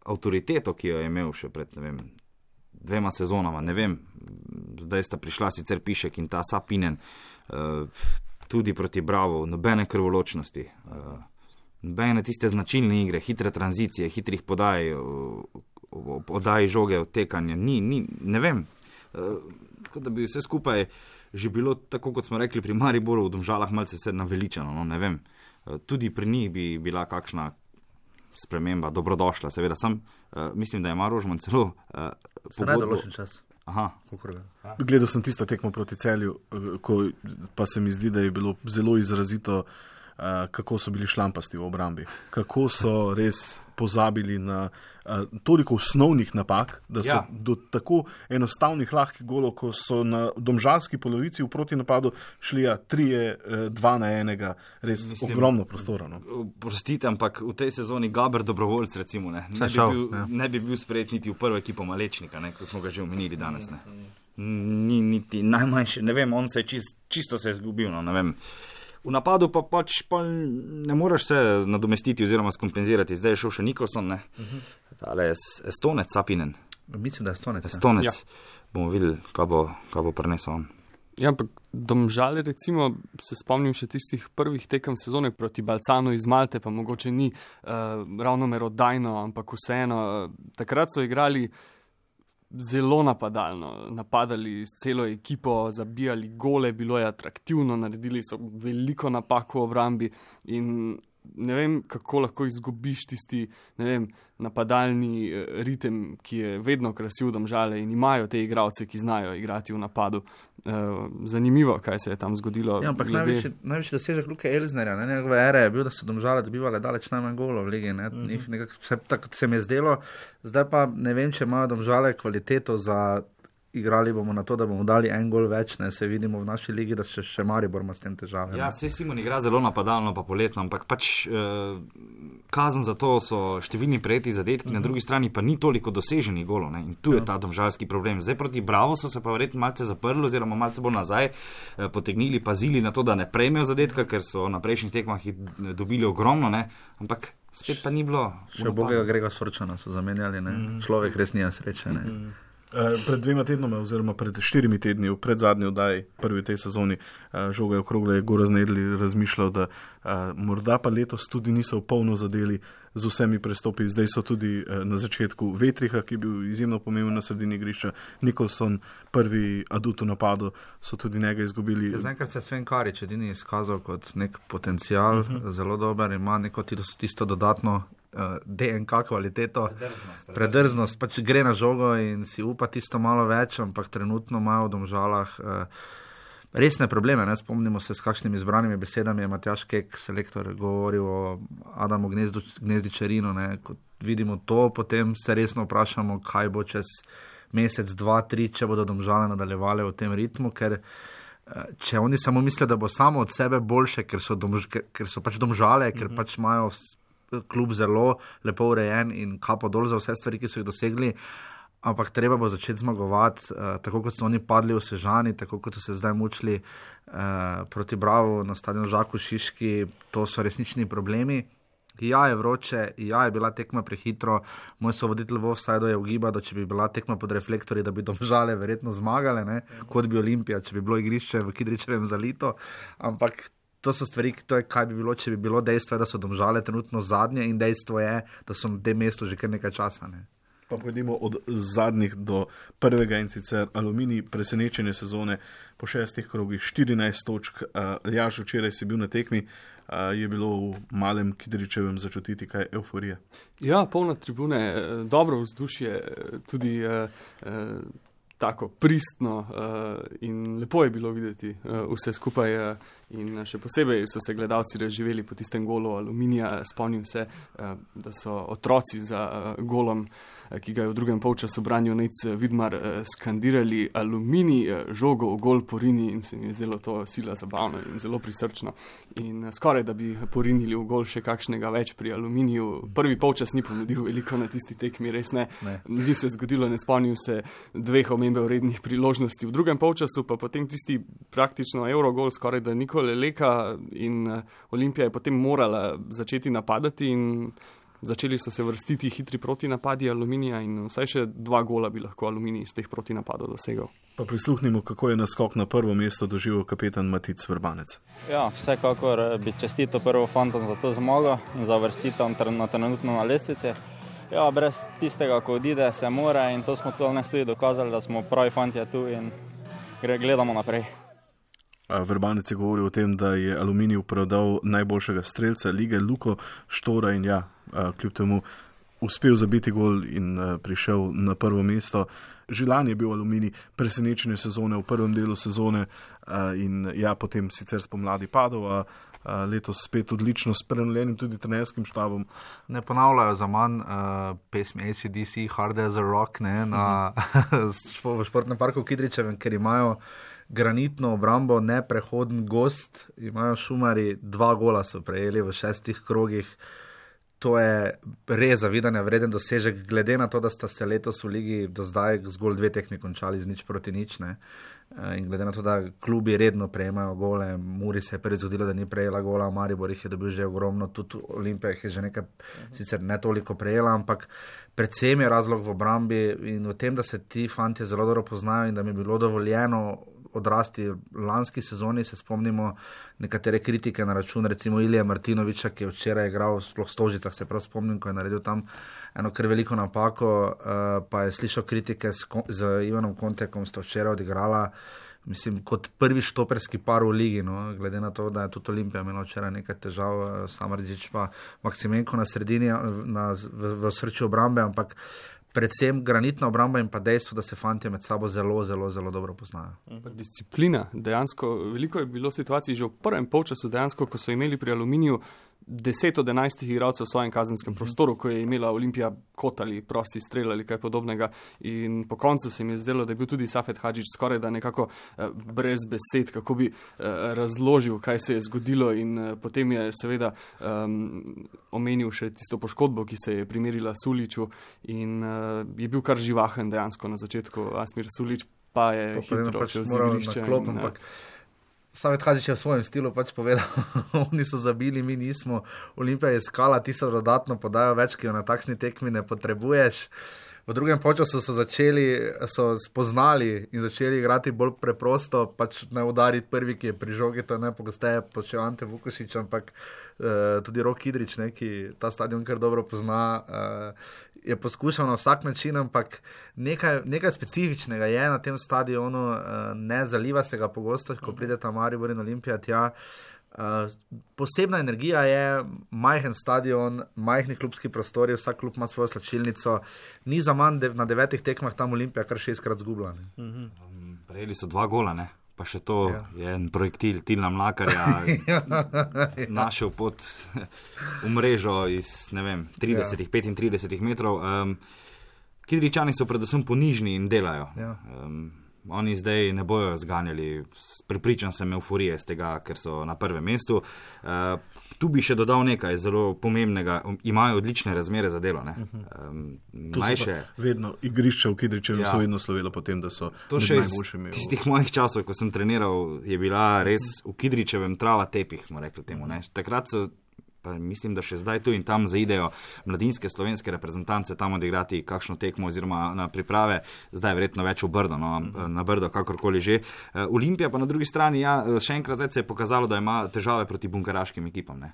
avtoriteto, ki jo je imel še pred 2 sezonama. Ne vem, zdaj sta prišla sicer Pišek in ta Sapinen, tudi proti Bravo, nobene krvoločnosti, nobene tiste značilne igre, hitre tranzicije, hitrih podaj žoge, odtekanja, ne vem. Tako da bi vse skupaj že bilo, tako kot smo rekli pri Mariboru, v Domžalah malce se naveličano, no, ne vem. Tudi pri njih bi bila kakšna sprememba dobrodošla, seveda. Mislim, da ima Rožman celo nedoločen čas. Aha. Gledal sem tisto tekmo proti Celju, pa se mi zdi, da je bilo zelo izrazito, kako so bili šlampasti v obrambi. Kako so res pozabili na toliko osnovnih napak, da so do tako enostavnih lahkih golov, ko so na domžalski polovici v protinapadu šli 3-2-1, res ogromno prostora. No. Prostite, ampak v tej sezoni Gaber Dobrovoljc recimo ne bi bil sprejet niti v prvo ekipo Malečnika, ko smo ga že omenili danes. Ne. Ni niti najmanjše, ne vem, on se je čisto se je izgubil, no, ne vem. V napadu pa ne moreš se nadomestiti oziroma skompenzirati. Zdaj je šel še Nikolson, ne? Tale Estonec, Sapinen. Mislim, da je Estonec. Estonec. Ja. Bomo videli, kaj bo prinesel on. Ja, ampak Domžale, recimo, se spomnim še tistih prvih tekem sezone proti Balcanu iz Malte, pa mogoče ni ravno merodajno, ampak vseeno. Takrat so igrali zelo napadali s celo ekipo, zabijali gole, bilo je atraktivno, naredili so veliko napak v obrambi in ne vem, kako lahko izgubiš tisti, napadalni ritem, ki je vedno krasil Domžale in imajo te igralce, ki znajo igrati v napadu. Zanimivo, kaj se je tam zgodilo. Ja, ampak največji dosežek Luke Elznerja, njegove ere je bil, da so Domžale dobivali daleč najmanj golov v ligi. Tako se mi je zdelo. Zdaj pa ne vem, če imajo Domžale kvaliteto za igrali bomo na to, da bomo dali en gol več, ne, se vidimo v naši ligi, da še Maribor ima s tem težave. Ja, se Simon igra zelo napadalno pa poletno, ampak kazen za to so številni prejeti zadetki, na drugi strani pa ni toliko doseženih golov, ne, in tu je ta domžalski problem. Zdaj proti Bravo so se pa verjetno malce zaprli oziroma malce bolj nazaj potegnili, pazili na to, da ne prejmejo zadetka, ker so na prejšnjih tekmah dobili ogromno, ne, ampak spet pa ni bilo. Še bogega Grega Sorčana so zamenjali, ne, človek res nija sreče, ne. Pred 2 tednoma oziroma pred 4 tedni v predzadnji oddaji prvi tej sezoni Žoga okrogle je Gorazd Nedlj razmišljal, da morda pa letos tudi niso v polno zadeli z vsemi prestopi. Zdaj so tudi na začetku Vetriha, ki je bil izjemno pomemben na sredini igrišča, Nikolson, prvi adut v napadu, so tudi njega izgubili. Zaenkrat se je Sven Karič edini izkazal kot nek potencial, zelo dober, ima neko tisto dodatno DNK kvaliteto, predrznost, pač gre na žogo in si upa tisto malo več, ampak trenutno imajo v Domžalah resne probleme. Ne? Spomnimo se, s kakšnimi izbranimi besedami je Matjaž Kek, selektor, govoril o Adamu Gnezdičarinu. Ko vidimo to, potem se resno vprašamo, kaj bo čez mesec, 2, 3, če bodo Domžale nadaljevale v tem ritmu, ker če oni samo mislijo, da bo samo od sebe boljše, ker so pač Domžale, ker pač imajo klub zelo lepo urejen in kapo dol za vse stvari, ki so jih dosegli, ampak treba bo začeti zmagovati, tako kot so oni padli v Sežani, tako kot so se zdaj mučili proti Bravo na stadionu Žaku Šiški, to so resnični problemi. Ja, je vroče, ja, je bila tekma prehitro, moj sovoditelj v offsideu je ugibal, da če bi bila tekma pod reflektorji, da bi Domžale verjetno zmagale, ne? Kot bi Olimpija, če bi bilo igrišče v Kidričevem zalito, ampak to so stvari, to je, kaj bi bilo, če bi bilo. Dejstvo je, da so Domžale trenutno zadnje in dejstvo je, da so na tem mestu že kar nekaj časa. Ne? Pa pojdimo od zadnjih do prvega, in sicer Aluminij, presenečenje sezone po 6 krogih, 14 točk. Ljaž, včeraj si bil na tekmi, je bilo v malem Kidričevem začutiti kaj evforije? Ja, polna tribune, dobro vzdušje, tudi tako pristno in lepo je bilo videti vse skupaj in še posebej so se gledalci razživeli po tistem golu Aluminija. Spomnim se, da so otroci za golom, ki ga je v drugem polčasu branil Nejc Vidmar, skandirali Aluminij, žogo v gol porini, in se mi je zdelo to sila zabavno in zelo prisrčno. In skoraj, da bi porinili v gol še kakšnega več pri Aluminiju. Prvi polčas ni ponudil veliko na tisti tekmi, res ne. Ni se zgodilo, ne spomnim se 2 omembe vrednih priložnosti. V drugem polčasu pa potem tisti praktično Eurogol, skoraj da nikoli leka, in Olimpija je potem morala začeti napadati in začeli so se vrstiti hitri protinapadi Aluminija in vsaj še 2 gola bi lahko Aluminij iz teh protinapadov dosegal. Pa prisluhnimo, kako je naskok na prvo mesto doživel kapetan Matic Vrbanec. Ja, vsekakor bi čestito prvo fantom za to zmago in za uvrstitev trenutno na lestvici. Ja, brez tistega, ko odide, se mora, in to smo tudi dokazali, da smo pravi fantje tu in gledamo naprej. Vrbanec je govoril o tem, da je Aluminij prodal najboljšega strelca lige Luko Štora in ja, kljub temu uspel zabiti gol in prišel na prvo mesto. Že lani je bil Aluminij presenečenje sezone v prvem delu sezone in ja, potem sicer spomladi padel, letos spet odlično s prenovljenim tudi trenerskim štabom. Ne ponavljajo za manj pesmi AC/DC, Hard as a Rock, ne, v športnem parku v Kidričevem, ker imajo granitno obrambo, neprehoden gost, imajo Šumari, 2 gola so prejeli v 6 krogih. To je res zavidanja vreden dosežek, glede na to, da sta se letos v ligi do zdaj zgolj 2 tekmi končali z 0-0, ne. In glede na to, da klubi redno prejemajo gole, Muri se je prvi zgodilo, da ni prejela gola, Maribor jih je dobil že ogromno, tudi Olimpija jih je že nekaj, sicer ne toliko prejela, ampak predvsem je razlog v obrambi in v tem, da se ti fantje zelo dobro poznajo in da mi je bilo dovoljeno odrasti v lanski sezoni. Se spomnimo nekatere kritike na račun recimo Ilije Martinoviča, ki je včeraj igral sploh v Stožicah, se prav spomnim, ko je naredil tam eno kar veliko napako, pa je slišal kritike z Ivanom Kontekom, sta včeraj odigrala, mislim, kot prvi štoperski par v ligi, no, glede na to, da je tudi Olimpija imela včeraj nekaj težav, Samardžič pa Maksimenko na sredini, v srču obrambe, ampak predvsem granitna obramba in pa dejstvo, da se fantje med sabo zelo, zelo, zelo dobro poznajo. Disciplina, dejansko, veliko je bilo situacij že v prvem polčasu, dejansko, ko so imeli pri Aluminiju 10 od 11 igralcev v svojem kazenskem prostoru, ko je imela Olimpija kot ali prosti strel ali kaj podobnega, in po koncu se mi je zdelo, da je bil tudi Safet Hadžić skoraj da nekako brez besed, kako bi razložil, kaj se je zgodilo, in potem je seveda omenil še tisto poškodbo, ki se je primerila Suliću, in je bil kar živahen dejansko na začetku Asmir Sulić, pa je hitro čez igrišče. Safet Hadžić je v svojem stilu pač povedal, oni so zabili, mi nismo, Olimpija je iskala tisto dodatno podajo več, ki jo na takšni tekmi ne potrebuješ. V drugem polčasu so spoznali in začeli igrati bolj preprosto, pač ne udariti prvi, ki je pri žogi, to je najpogosteje počel Ante Vukušić, ampak tudi Rok Kidrič, ki ta stadion kar dobro pozna, je poskušal na vsak način, ampak nekaj specifičnega je na tem stadionu, ne zaliva se ga pogosto, ko pride ta Maribor in Olimpija tja. Posebna energija je, majhen stadion, majhni klubski prostori, vsak klub ima svojo slačilnico, ni za manj na 9 tekmah tam Olimpija kar 6-krat zgubila. Prejeli so 2 gola, ne? pa še to je en projektil Tilna Mlakarja našel pot v mrežo iz, ne vem, 35 metrov. Kidričani so predvsem ponižni in delajo. Oni zdaj ne bojo zganjali, prepričan sem, euforije z tega, ker so na prvem mestu. Tu bi še dodal nekaj zelo pomembnega, imajo odlične razmere za delo. Vedno igrišče v Kidričevu so vedno slovelo potem, da so najboljši imeli. Tistih mojih časov, ko sem treniral, je bila res v Kidričevem trava tepih, smo rekli temu. Takrat so, pa mislim, da še zdaj tu in tam zaidejo mladinske slovenske reprezentance tam odigrati kakšno tekmo oziroma na priprave, zdaj verjetno več v Brdo, na Brdo, kakorkoli že. Olimpija pa na drugi strani, še enkrat več se je pokazalo, da ima težave proti bunkaraškim ekipam.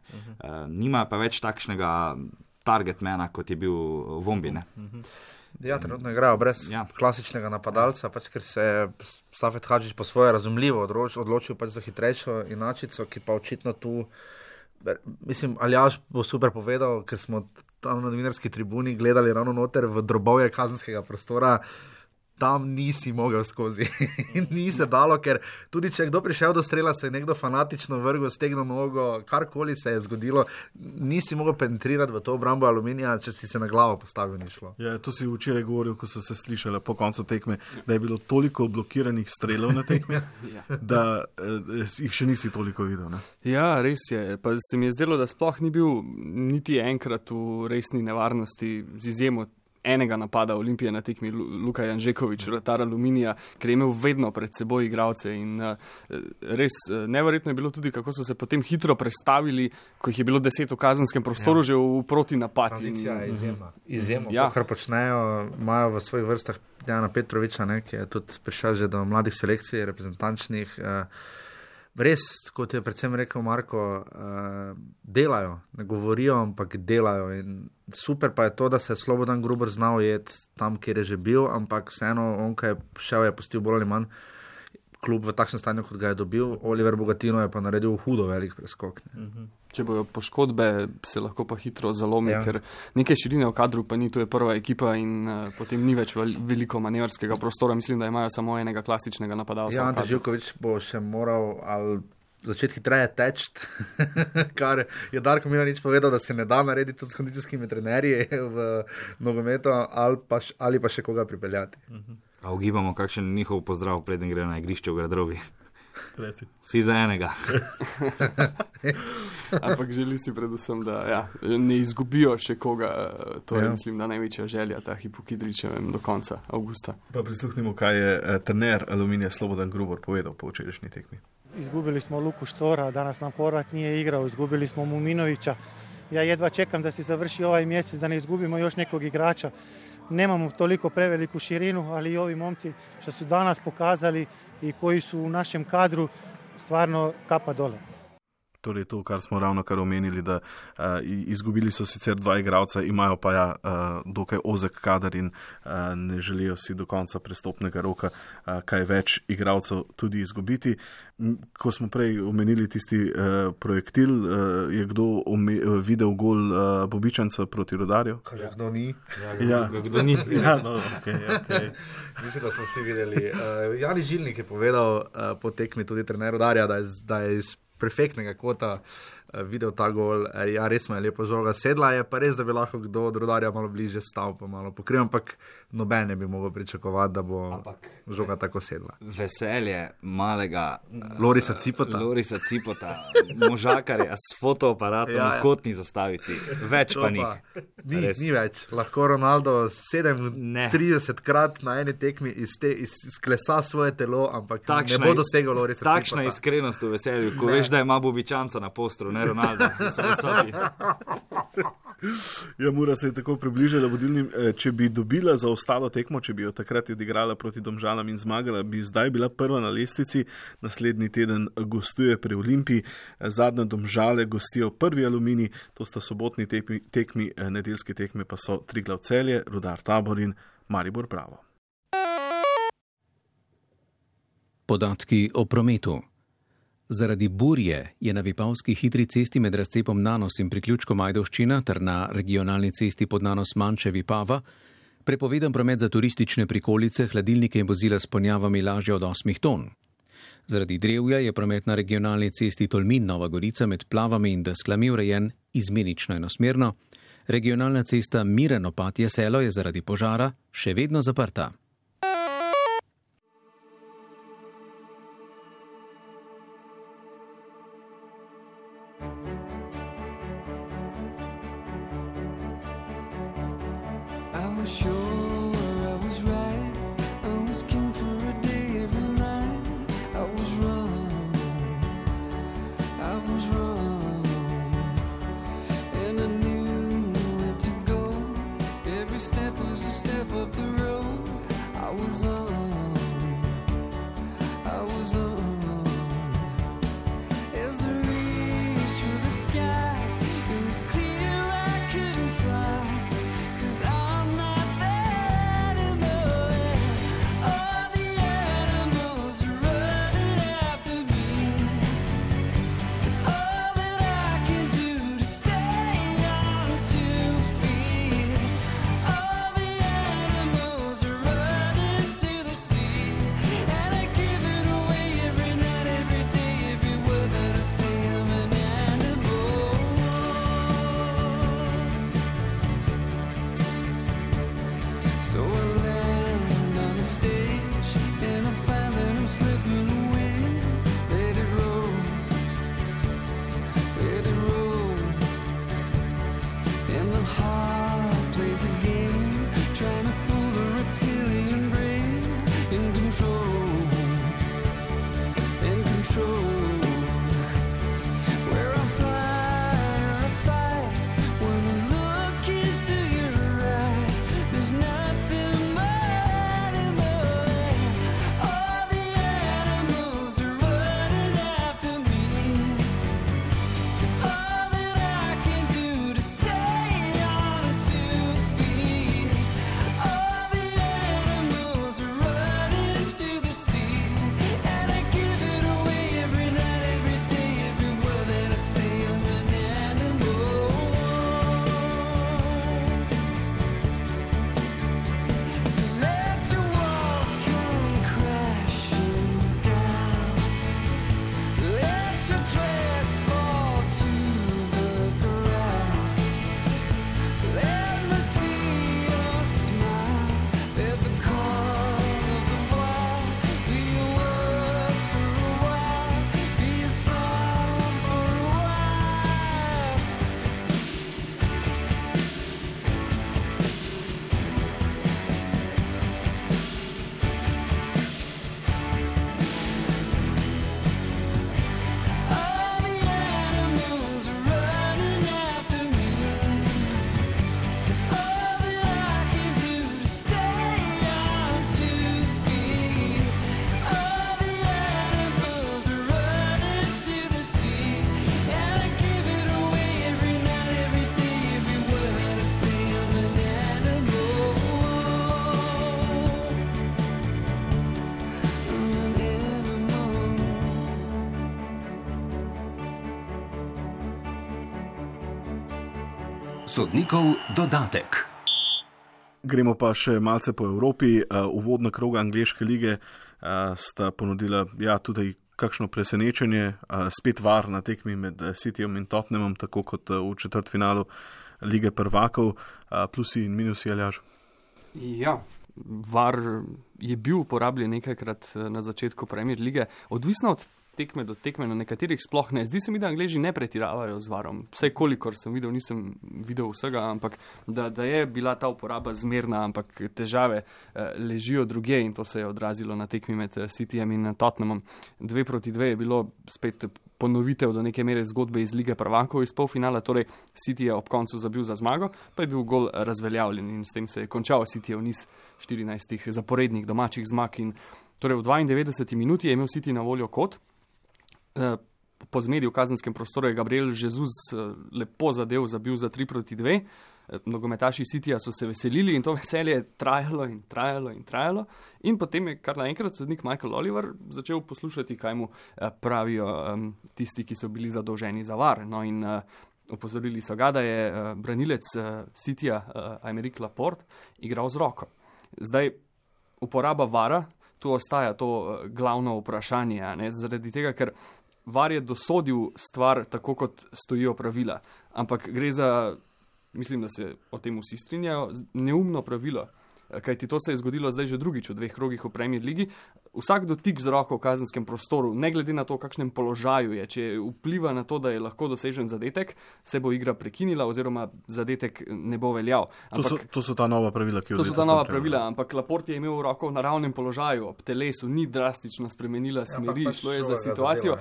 Nima pa več takšnega targetmana, kot je bil Vombi. Ja, trenutno igrajo brez klasičnega napadalca, ker se je Safet Hadžić po svoje razumljivo odločil za hitrejšo inačico, ki pa očitno tu. Mislim, Aljaž bo super povedal, ker smo tam na novinarski tribuni gledali ravno noter v drobovje kazenskega prostora, tam nisi mogel skozi. Ni se dalo, ker tudi če je kdo prišel do strela, se je nekdo fanatično vrgel, stegnil nogo, karkoli se je zgodilo, nisi mogel penetrirati v to obrambo Aluminija, če si se na glavo postavil, ni šlo. Ja, to si včeraj govoril, ko so se slišali po koncu tekme, da je bilo toliko blokiranih strelov na tekme, da jih še nisi toliko videl. Ne? Ja, res je. Pa se mi je zdelo, da sploh ni bil niti enkrat v resni nevarnosti z izjemo enega napada Olimpije na tekmi Luka Janžekovič, vratar Aluminija, ker je imel vedno pred seboj igralce in res neverjetno je bilo tudi, kako so se potem hitro prestavili, ko jih je bilo 10 v kazenskem prostoru že v protinapad. Tranzicija je izjemno. To, kar počnejo, imajo v svojih vrstah Dejana Petroviča, ki je tudi prišel že do mladih selekcij, reprezentančnih. Res, kot je predvsem rekel Marko, delajo, ne govorijo, ampak delajo in super pa je to, da se je Slobodan Gruber znal jeti tam, kjer je že bil, ampak vseeno on, ko je šel, je pustil bolj ali manj klub v takšnem stanju, kot ga je dobil. Oliver Bogatino je pa naredil hudo velik preskok. Če bojo poškodbe, se lahko pa hitro zalomi, ker neke širine v kadru pa ni, to je prva ekipa in potem ni več veliko manevrskega prostora. Mislim, da imajo samo enega klasičnega napadalca. Ja, Ante Živković bo še moral začeti hitreje teči, kar je Darko Milanič povedal, da se ne da narediti s kondicijskimi trenerji v nogometu ali pa še koga pripeljati. A ugibamo, kakšen njihov pozdrav, preden gre na igrišče v Gradrovi. Vsi za enega. Ampak želi si predvsem, da ne izgubijo še koga. To je, mislim, da največja želja ta hip v Kidričevem do konca avgusta. Pa prisluhnimo, kaj je trener Aluminija Slobodan Gruber povedal po včerajšnji tekmi. Izgubili smo Luku Štora, danas nam forvat nije igrao, izgubili smo Muminovića. Ja jedva čekam da se završi ovaj mjesec, da ne izgubimo još nekog igrača. Nemamo toliko preveliku širinu, ali i ovi momci što su danas pokazali i koji su u našem kadru, stvarno kapa dole. Torej to, kar smo ravno kar omenili, da izgubili so sicer 2 igralca, imajo pa dokaj ozek kader in ne želijo si do konca prestopnega roka kaj več igralcev tudi izgubiti. Ko smo prej omenili tisti projektil, je kdo videl gol Bobičanca proti Rudarju? Kdo ni? Kdo ni? Okay. Mislim, da smo vsi videli. Jani Žilnik je povedal po tekmi tudi trener Rudarja, da je iz perfektnega kota videl ta gol. Ja, res me je lepo žoga sedla, je pa res, da bi lahko kdo od Rudarja malo bliže stal, pa malo pokril, ampak noben ne bi mogel pričakovati, da bo žoga tako sedla. Veselje malega Lorisa Cipota, možakarja s fotoaparatom v kotni zastavici. Več pa ni. Ni več. Lahko Ronaldo 37krat na eni tekmi izklesa svoje telo, ampak ne bo dosegel Lorisa Cipota. Takšna iskrenost v veselju, ko veš, da ima Bobičanca na postru, ne Ronaldo. Ja, Mura se je tako približala vodilnim. Če bi dobila za ostalo tekmo, če bi jo takrat odigrala proti Domžalam in zmagala, bi zdaj bila prva na lestvici. Naslednji teden gostuje pri Olimpiji, zadnje Domžale gostijo prvi Aluminij, to sta sobotni tekmi, nedeljski tekme pa so Triglav Celje, Rudar Tabor in Maribor Bravo. Podatki o prometu. Zaradi burje je na Vipavski hitri cesti med razcepom Nanos in priključkom Ajdovščina ter na regionalni cesti pod Nanos Manče Vipava prepovedan promet za turistične prikolice, hladilnike in vozila s ponjavami lažje od 8 ton. Zaradi drevja je promet na regionalni cesti Tolmin-Nova Gorica med Plavami in Desklami urejen izmenično enosmerno. Regionalna cesta Miren-Opatje Selo je zaradi požara še vedno zaprta. Sodnikov dodatek. Gremo pa še malce po Evropi. Uvodna kroga angleške lige sta ponudila tudi kakšno presenečenje. Spet VAR na tekmi med Cityjem in Tottenhamom, tako kot v četrtfinalu lige prvakov. Plusi in minusi, Aljaž? Ja, VAR je bil uporabljen nekajkrat na začetku Premier lige. Odvisno od tekme do tekme, na nekaterih sploh ne. Zdi se mi, da Angleži ne pretiravajo z VAR-om. Vsaj kolikor sem videl, nisem videl vsega, ampak da je bila ta uporaba zmerna, ampak težave ležijo drugje in to se je odrazilo na tekmi med Cityjem in Tottenhamom. 2-2 je bilo spet ponovitev do neke mere zgodbe iz lige prvakov iz polfinala, torej City je ob koncu zabil za zmago, pa je bil gol razveljavljen in s tem se je končal Cityjev niz 14 zaporednih domačih zmag in torej v 92 minuti je imel City na voljo kot. Po zmeri v kazenskem prostoru je Gabriel Jesus lepo zabil za 3-2. Nogometaši Cityja so se veselili in to veselje je trajalo. In potem je kar naenkrat sodnik Michael Oliver začel poslušati, kaj mu pravijo tisti, ki so bili zadolženi za VAR. No in opozorili so ga, da je branilec Cityja Aymeric Laporte igral z roko. Zdaj, uporaba VAR-a tu ostaja to glavno vprašanje, zaradi tega, ker VAR je dosodil stvar tako, kot stojijo pravila, ampak gre za, mislim, da se o tem vsi strinjajo, neumno pravilo. Kajti to se je zgodilo zdaj že drugič v 2 krogih v Premier Ligi. Vsak dotik z roko v kazenskem prostoru, ne glede na to, v kakšnem položaju je, če vpliva na to, da je lahko dosežen zadetek, se bo igra prekinila oziroma zadetek ne bo veljal. To so ta nova pravila, ki jo zdaj. To so ta nova pravila, ampak Laporte je imel roko v naravnem položaju, ob telesu, ni drastično spremenila smeri, šlo je za situacijo.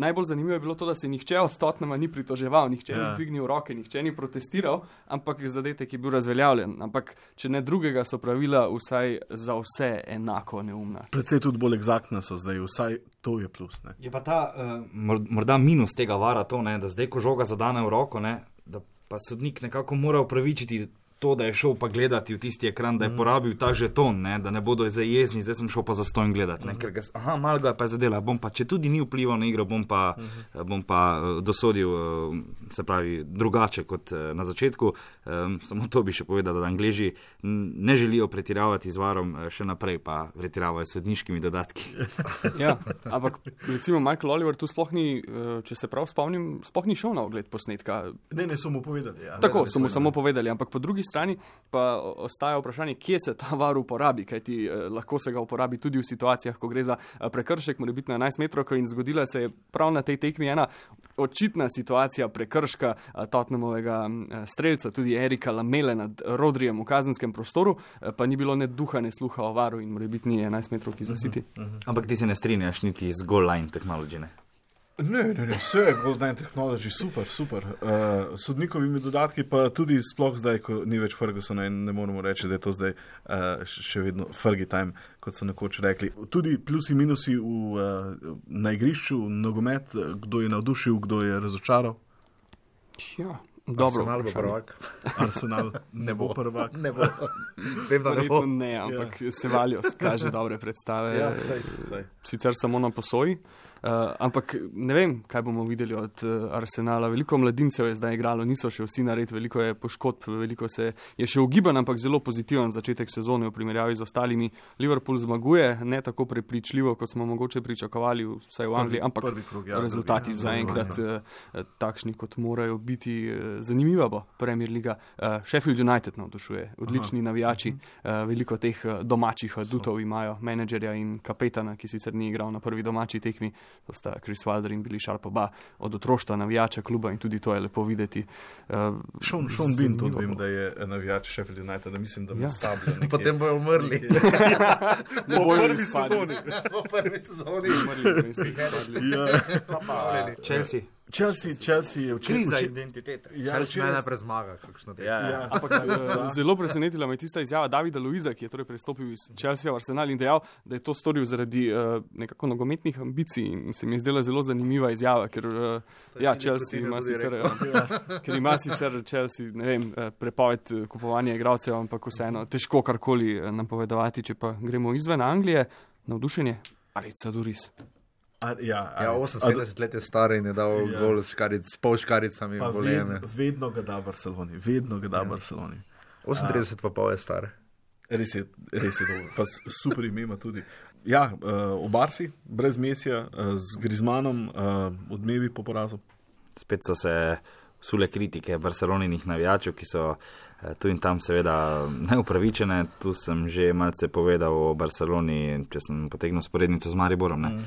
Najbolj zanimivo je bilo to, da se nihče od Tottenhama ni pritoževal, nihče ni dvignil roke, nihče ni protestiral, ampak zadetek je bil razveljavljen. Ampak če ne drugega, so pravila vsaj za vse enako neumna. Predvsej tudi bolj eksaktna so zdaj, vsaj to je plus. Ne? Je pa ta morda minus tega VAR-a to, ne, da zdaj, ko žoga zadane v roko, ne, da pa sodnik nekako mora upravičiti to, da je šel pa gledati v tisti ekran, da je porabil ta žeton, ne, da ne bodo zdaj jezni, zdaj sem šel pa zastojn gledati, ne, ker malo ga pa je zadela, bom pa, če tudi ni vplival na igro, bom pa dosodil, se pravi, drugače kot na začetku. Samo to bi še povedal, da Angleži ne želijo pretiravati z VAR-om, še naprej pa pretiravajo s sodniškimi dodatki. Ja, ampak recimo Michael Oliver tu sploh ni, če se prav spomnim, sploh ni šel na ogled posnetka. Ne, so mu povedali. Ja. Tako, so mu samo povedali, ampak po drugi strani pa ostaja vprašanje, kje se ta VAR uporabi, kajti lahko se ga uporabi tudi v situacijah, ko gre za prekršek, mora biti na 11 metrovko in zgodila se je prav na tej tekmi ena očitna situacija prekrška Tottenhamovega strelca, tudi Erika Lamele nad Rodrijem v kazenskem prostoru, pa ni bilo ne duha, ne sluha o VAR-u in mora biti ni 11 metrovki za City. Ampak ti se ne strinjaš niti z goal line technology, ne? Ne, vse je goal line technology, super. Sodnikovimi dodatki pa tudi sploh zdaj, ko ni več Fergusona in ne moremo reči, da je to zdaj še vedno Fergie time, kot so nekoč rekli. Tudi plusi, minusi na igrišču, nogomet, kdo je navdušil, kdo je razočaral. Ja. Dobro, Arsenal bo prvak. Arsenal ne bo prvak. Ne bo. Vem, da ne bo. Ne, ampak Ceballos kaže dobre predstave. Ja, saj. Sicer samo na posoji. Ampak ne vem, kaj bomo videli od Arsenala. Veliko mladincev je zdaj igralo, niso še vsi nared, veliko je poškodb, veliko se je še ugiban, ampak zelo pozitiven začetek sezone v primerjavi z ostalimi. Liverpool zmaguje, ne tako prepričljivo, kot smo mogoče pričakovali, vsaj v Angliji, ampak rezultati zaenkrat takšni, kot morajo biti. Zanimiva bo Premier Liga. Sheffield United navdušuje, odlični navijači, veliko teh domačih adutov imajo, menedžerja in kapetana, ki sicer ni igral na prvi domači tekmi. To sta Chris Wilder in Billy Sharp, oba od otroštva navijača kluba in tudi to je lepo videti. Sean Bean tudi vem, da je navijač Sheffield United, da mislim, da bo sablja nekje. Potem bojo umrli. Po prvi sezoni. Chelsea je kriza identitete. Chelsea najprej zmaga. Zelo presenetila me tista izjava Davida Luiza, ki je torej prestopil iz Chelsea v Arsenal in dejal, da je to storil zaradi nekako nogometnih ambicij in se mi je zdela zelo zanimiva izjava, ker Chelsea ima sicer, ker ima sicer Chelsea, ne vem, prepoved kupovanja igralcev, ampak vseeno težko karkoli napovedovati, če pa gremo izven Anglije, navdušenje, Aritza Duris. 78 let je star in je dal gol s pol škaricami. Vedno ga da Barceloni. 38 pa pol je star. Res je dobro. Pa super ime ima tudi. Ja, v Barsi, brez Mesija, z Griezmannom, odmevi po porazu. Spet so se vsule kritike Barceloninih navijačev, ki so tu in tam seveda neupravičene. Tu sem že malce povedal o Barceloni, če sem potegnil sporednico z Mariborom, ne.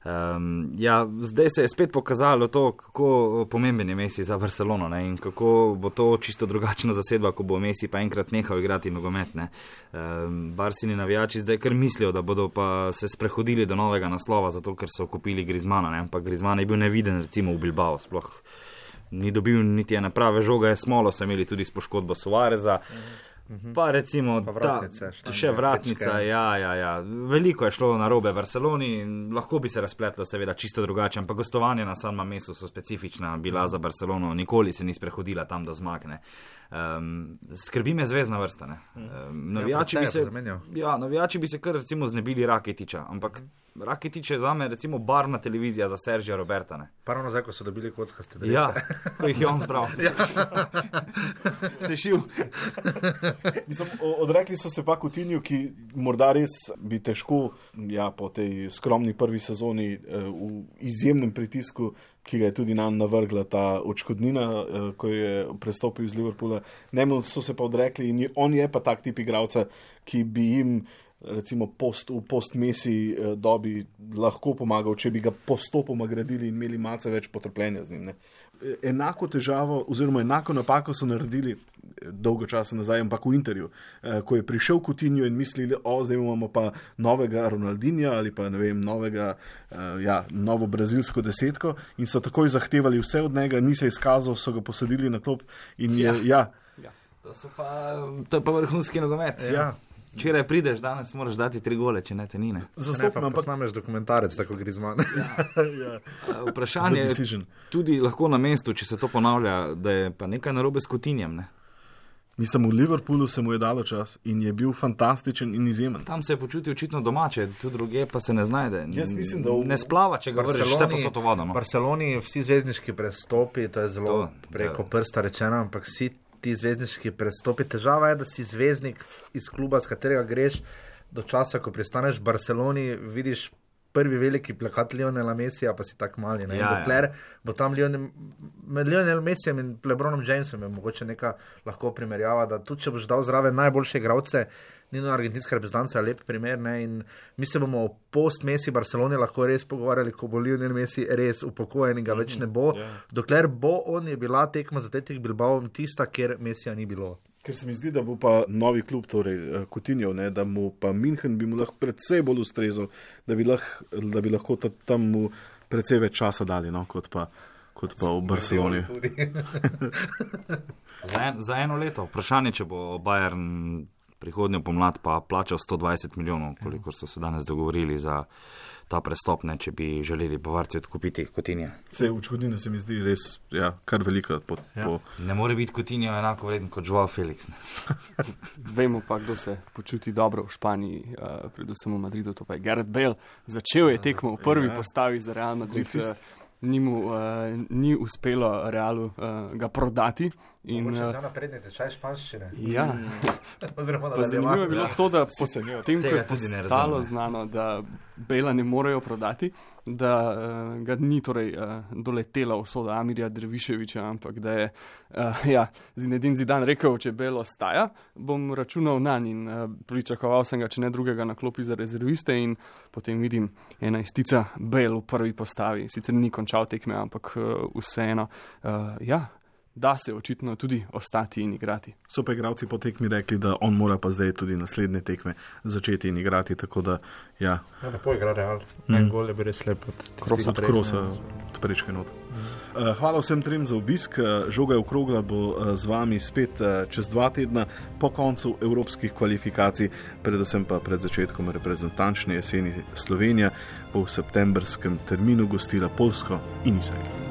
Zdaj se je spet pokazalo to, kako pomemben je Messi za Barcelono, ne, in kako bo to čisto drugačna zasedba, ko bo Messi pa enkrat nehal igrati nogomet. Barsini navijači zdaj kar mislijo, da bodo pa se sprehodili do novega naslova, zato ker so kupili Griezmana, ne, ampak Griezmann je bil neviden recimo v Bilbao, sploh ni dobil niti ene prave žoge, smolo so imeli tudi s poškodbo Suareza. Pa recimo še vratnica, ja. Veliko je šlo na robe v Barceloni in lahko bi se razpletlo seveda čisto drugače, ampak gostovanje na San Mamesu so specifična bila za Barcelono, nikoli se ni sprehodila tam do zmagne. Skrbi me zvezdna vrsta, ne. Navijači bi se kar recimo znebili Rakitića, ampak Rakitić je zame recimo barvna televizija za Sergija Roberta, ne. Pravno zdaj, ko so dobili kockaste drese. Ja, ko jih je on zbral. Se šil. Mislim, odrekli so se pa Coutinju, ki morda res bi težko po tej skromni prvi sezoni v izjemnem pritisku, ki ga je tudi nam navrgla ta odškodnina, ko je prestopil iz Liverpoola. Njemu so se pa odrekli in on je pa tak tip igralca, ki bi jim recimo v post-Messi dobi lahko pomagal, če bi ga postopoma gradili in imeli malce več potrpljenja z njim. Ne. Enako težavo oziroma enako napako so naredili dolgo časa nazaj, ampak v Interju, ko je prišel Coutinho in mislili, zdaj imamo pa novega Ronaldinja ali pa ne vem, novo brazilsko desetko in so takoj zahtevali vse od njega, ni se izkazal, so ga posadili na klop in To je pa vrhunski nogomet. Ja. Včeraj prideš, danes moraš dati 3 gole, če ne te ni. Zastopno pa snameš dokumentarec, tako Griezmann. Vprašanje je tudi lahko na mestu, če se to ponavlja, da je pa nekaj narobe s Coutinjem, ne? Mislim, v Liverpoolu se mu je dalo čas in je bil fantastičen in izjemen. Tam se je počutil očitno domače, tu druge pa se ne znajde. Jaz mislim, da ne splava, če ga vržeš vse posod v vodo. V Barceloni vsi zvezdniški prestopi, to je zelo preko prsta rečeno, ampak vsi ti zvezdniški prestopi. Težava je, da si zvezdnik iz kluba, z katerega greš do časa, ko pristaneš v Barceloni, vidiš prvi veliki plakat Lionela Messija, pa si tak mali. Dokler bo tam med Lionel Messijem in LeBronom Jamesom je mogoče neka lahko primerjava, da tudi če boš dal zraven najboljše igralce, Nino argentinska reprezentanca je lep primer, ne? In mi se bomo o post-Messi Barceloni lahko res pogovarjali, ko bo Lionel Messi res upokojen in ga več ne bo. Dokler bo on, je bila tekma z Athletic Bilbao tista, kjer Messija ni bilo. Ker se mi zdi, da bo pa novi klub, torej Coutinho, da mu pa München bi mu lahko predvsej bolj ustrezal, da bi lahko tam mu predvsej več časa dali, kot pa v Barceloni. Za eno leto. Vprašanje, če bo Bayern prihodnjo pomlad pa plačal 120 milijonov, koliko so se danes dogovorili za ta prestop, če bi želeli Bavarci odkupiti Coutinja. Odškodnina se mi zdi res kar velika. Ne more biti Coutinho enako vreden kot Joao Felix. Vemo pa, kdo se počuti dobro v Španiji, predvsem v Madridu, to pa je Gareth Bale. Začel je tekmo v prvi postavi za Real Madrid. Ni uspelo Realu ga prodati. Mogoče za napredni tečaj španščine. Ja. Zanimivo je bilo to, da potem, ko je postalo znano, da Bela ne morejo prodati, da ga ni doletela usoda Amirja Derviševića, ampak da je Zinedine Zidane rekel, če Bel ostaja, bom računal nanj in pričakoval sem ga, če ne drugega, na klopi za rezerviste in potem vidim 11 Bel v prvi postavi. Sicer ni končal tekme, ampak vseeno, da se očitno tudi ostati in igrati. So pa igralci po tekmi rekli, da on mora pa zdaj tudi naslednje tekme začeti in igrati, tako da lepo igra Real. En gol je bil res lep od Krosa prečke not. Hvala vsem trem za obisk. Žoga okrogla bo z vami spet čez 2 tedna po koncu evropskih kvalifikacij, predvsem pa pred začetkom reprezentančne jeseni. Slovenija bo v septembrskem terminu gostila Poljsko in Izrael.